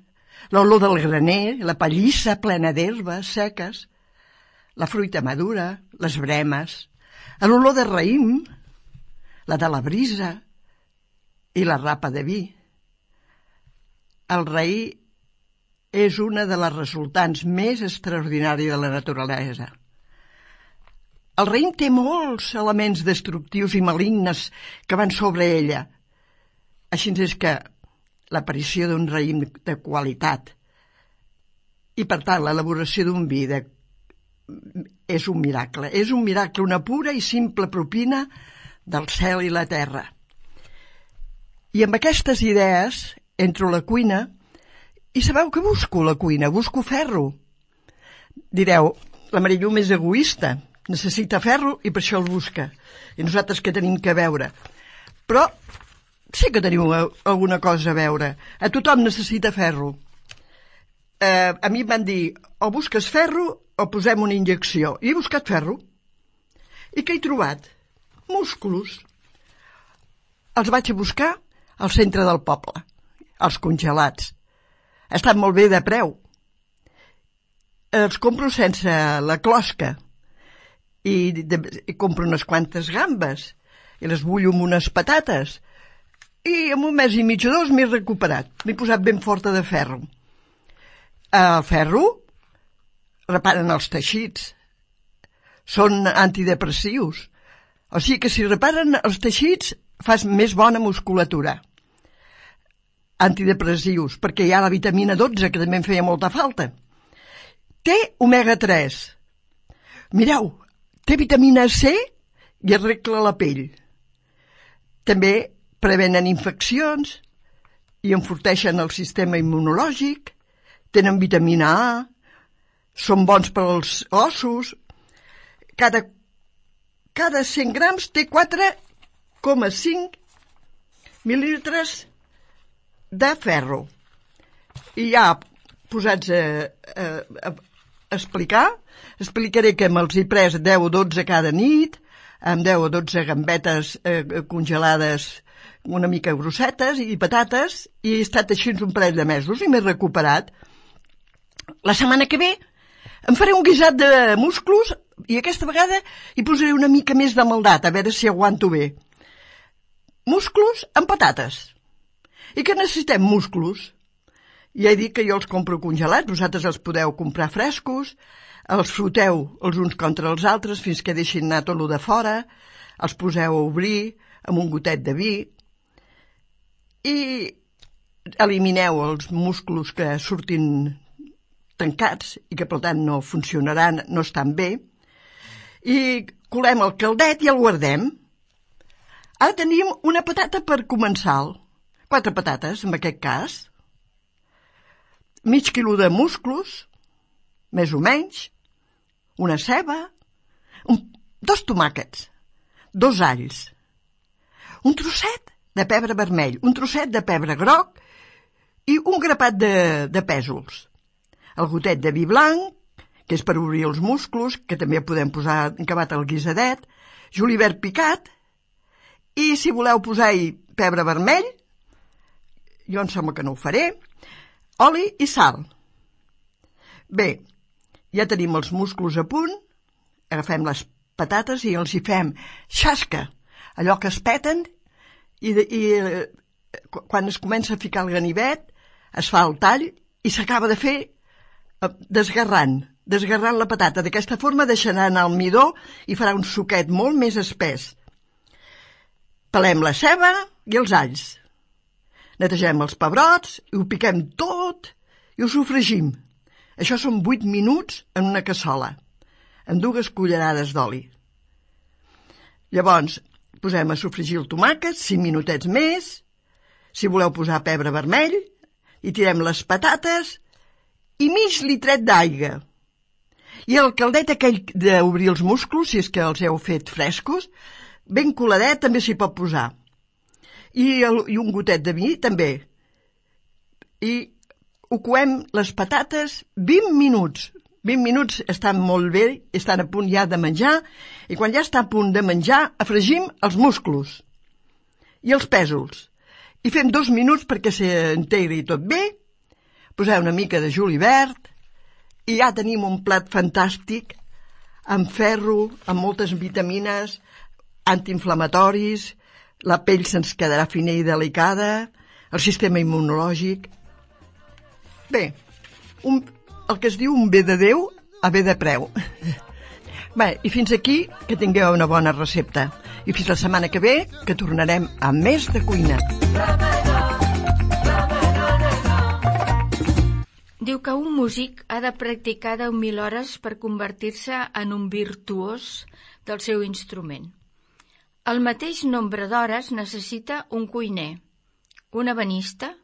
l'olor del graner, la pallissa plena d'herbes seques, la fruita madura, les bremes, l'olor de raïm, la de la brisa i la rapa de vi. El raïm és una de les resultants més extraordinàries de la naturalesa. El raïm té molts elements destructius i malignes que van sobre ella. Així és que l'aparició d'un raïm de qualitat i, per tant, l'elaboració d'un vi de... és un miracle. És un miracle, una pura i simple propina del cel i la terra. I amb aquestes idees entro a la cuina i sabeu que busco la cuina? Busco ferro. Direu, la Marillum és egoista, necessita ferro i per això el busca. I nosaltres què tenim que veure? Però sí que teniu alguna cosa a veure. A tothom necessita ferro. Eh, a mi em van dir, o busques ferro o posem una injecció. I he buscat ferro. I què he trobat? Músculs. Els vaig a buscar al centre del poble, els congelats. Estan molt bé de preu. Els compro sense la closca i, de, i compro unes quantes gambes i les bullo amb unes patates. I en un mes i mig o dos m'he recuperat. M'he posat ben forta de ferro. El ferro reparen els teixits. Són antidepressius. O sigui que si reparen els teixits fas més bona musculatura. Antidepressius, perquè hi ha la vitamina dotze, que també em feia molta falta. Té omega tres. Mireu, té vitamina C i arregla la pell. També prevenen infeccions i enforteixen el sistema immunològic, tenen vitamina A, són bons per als ossos. Cada, cada cent grams té quatre coma cinc mil·lílitres de ferro. I ja posats a, a, a explicar, explicaré que me'ls he pres deu o dotze cada nit, amb deu o dotze gambetes eh, congelades una mica grossetes i patates, i he estat així un parell de mesos i m'he recuperat. La setmana que ve em faré un guisat de musclos i aquesta vegada hi posaré una mica més de maldat, a veure si aguanto bé. Musclos amb patates. I que necessitem músculos? Ja he dit que jo els compro congelats, vosaltres els podeu comprar frescos, els froteu els uns contra els altres fins que deixin anar tot lo de fora, els poseu a obrir amb un gotet de vi i elimineu els músculs que surtin tancats i que per tant no funcionaran, no estan bé, i colem el caldet i el guardem. Ara tenim una patata per començar, quatre patates en aquest cas, mig quilo de musclos, més o menys, una ceba, un, dos tomàquets, dos alls, un trosset de pebre vermell, un trosset de pebre groc i un grapat de, de pèsols. El gotet de vi blanc, que és per obrir els musclos, que també podem posar acabat al guisadet, julivert picat I si voleu posar-hi pebre vermell, jo em sembla que no ho faré, oli i sal. Bé, ja tenim els musclos a punt, agafem les patates i els hi fem xasca, allò que es peten, i, de, i eh, quan es comença a ficar el ganivet, es fa el tall i s'acaba de fer eh, desgarrant, desgarrant la patata. D'aquesta forma deixarà anar el midó i farà un suquet molt més espès. Pelem la ceba i els alls. Netegem els pebrots i ho piquem tot i ho sofregim. Això són vuit minuts en una cassola, amb dues cullerades d'oli. Llavors, posem a sofregir el tomàquet, cinc minutets més, si voleu posar pebre vermell, i tirem les patates i mig litret d'aigua. I el caldet aquell d'obrir els musclos, si és que els heu fet frescos, ben coladet també s'hi pot posar. I, el, i un gotet de vi també. I ho coem les patates vint minuts. vint minuts estan molt bé, estan a punt ja de menjar, i quan ja està a punt de menjar, afregim els musclos i els pèsols. I fem dos minuts perquè s'integri tot bé, poseu una mica de julivert, i ja tenim un plat fantàstic, amb ferro, amb moltes vitamines, antiinflamatoris, la pell se'ns quedarà fina i delicada, el sistema immunològic. Bé, un, el que es diu un bé de Déu a bé de preu. Bé, i fins aquí, que tingueu una bona recepta. I fins la setmana que ve, que tornarem a més de cuina. Diu que un músic ha de practicar deu mil hores per convertir-se en un virtuós del seu instrument. El mateix nombre d'hores necessita un cuiner, un ebenista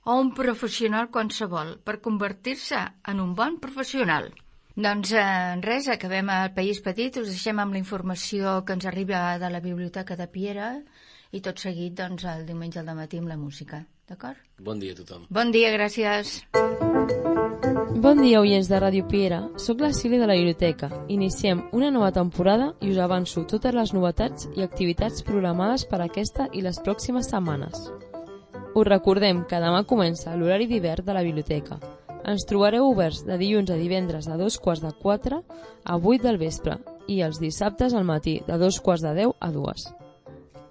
o un professional qualsevol per convertir-se en un bon professional. Doncs eh, res, acabem al País Petit, us deixem amb la informació que ens arriba de la Biblioteca de Piera i tot seguit doncs, el diumenge al matí amb la música, d'acord? Bon dia a tothom. Bon dia, gràcies. Bon dia, oients de Ràdio Piera. Soc la Sília de la Biblioteca. Iniciem una nova temporada i us avanço totes les novetats i activitats programades per aquesta i les pròximes setmanes. Us recordem que demà comença l'horari d'hivern de la biblioteca. Ens trobareu oberts de dilluns a divendres de dos quarts de quatre a vuit del vespre i els dissabtes al matí de dos quarts de deu a dues.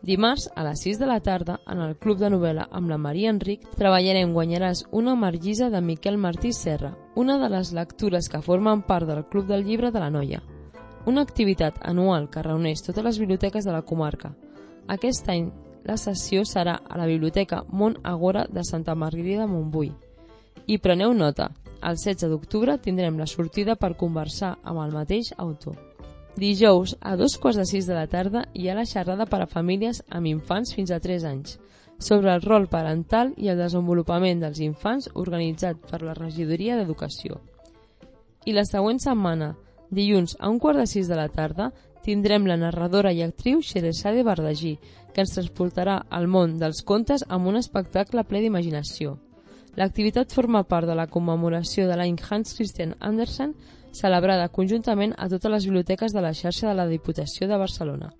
Dimarts, a les sis de la tarda, en el Club de Novel·la amb la Maria Enric, treballarem Guanyaràs una margisa de Miquel Martí Serra, una de les lectures que formen part del Club del Llibre de la Noia. Una activitat anual que reuneix totes les biblioteques de la comarca. Aquest any, la sessió serà a la Biblioteca Mont Agora de Santa Margarida de Montbui. I preneu nota, el setze d'octubre tindrem la sortida per conversar amb el mateix autor. Dijous, a dos quarts de sis de la tarda, hi ha la xerrada per a famílies amb infants fins a tres anys, sobre el rol parental i el desenvolupament dels infants organitzat per la Regidoria d'Educació. I la següent setmana, dilluns a un quart de sis de la tarda, tindrem la narradora i actriu Xeresade Bardagí, que ens transportarà al món dels contes amb un espectacle ple d'imaginació. L'activitat forma part de la commemoració de l'any Hans Christian Andersen, celebrada conjuntament a totes les biblioteques de la xarxa de la Diputació de Barcelona.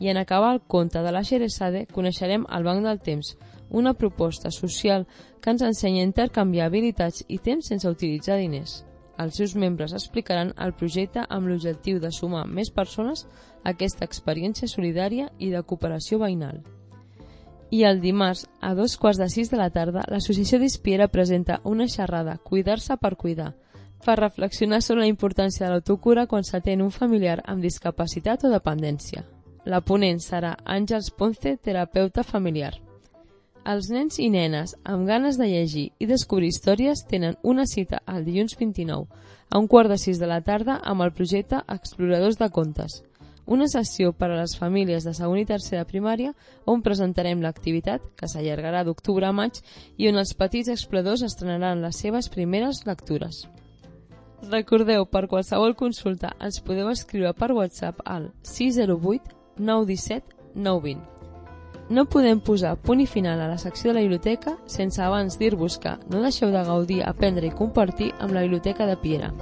I en acabar el conte de la Xeresade coneixerem el Banc del Temps, una proposta social que ens ensenya a intercanviar habilitats i temps sense utilitzar diners. Els seus membres explicaran el projecte amb l'objectiu de sumar més persones a aquesta experiència solidària i de cooperació veïnal. I el dimarts, a dos quarts de sis de la tarda, l'Associació d'Ispiera presenta una xerrada Cuidar-se per cuidar, per reflexionar sobre la importància de l'autocura quan s'atén un familiar amb discapacitat o dependència. La ponent serà Àngels Ponce, terapeuta familiar. Els nens i nenes amb ganes de llegir i descobrir històries tenen una cita el dilluns vint-i-nou a un quart de sis de la tarda amb el projecte Exploradors de Contes, una sessió per a les famílies de segon i tercer de primària on presentarem l'activitat, que s'allargarà d'octubre a maig i on els petits exploradors estrenaran les seves primeres lectures. Recordeu, per qualsevol consulta ens podeu escriure per WhatsApp al sis zero vuit nou un set nou dos zero. No podem posar punt i final a la secció de la biblioteca sense abans dir-vos que no deixeu de gaudir, aprendre i compartir amb la Biblioteca de Piera.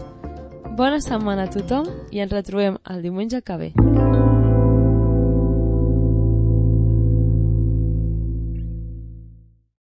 Bona setmana a tothom i ens retrobem el diumenge que ve.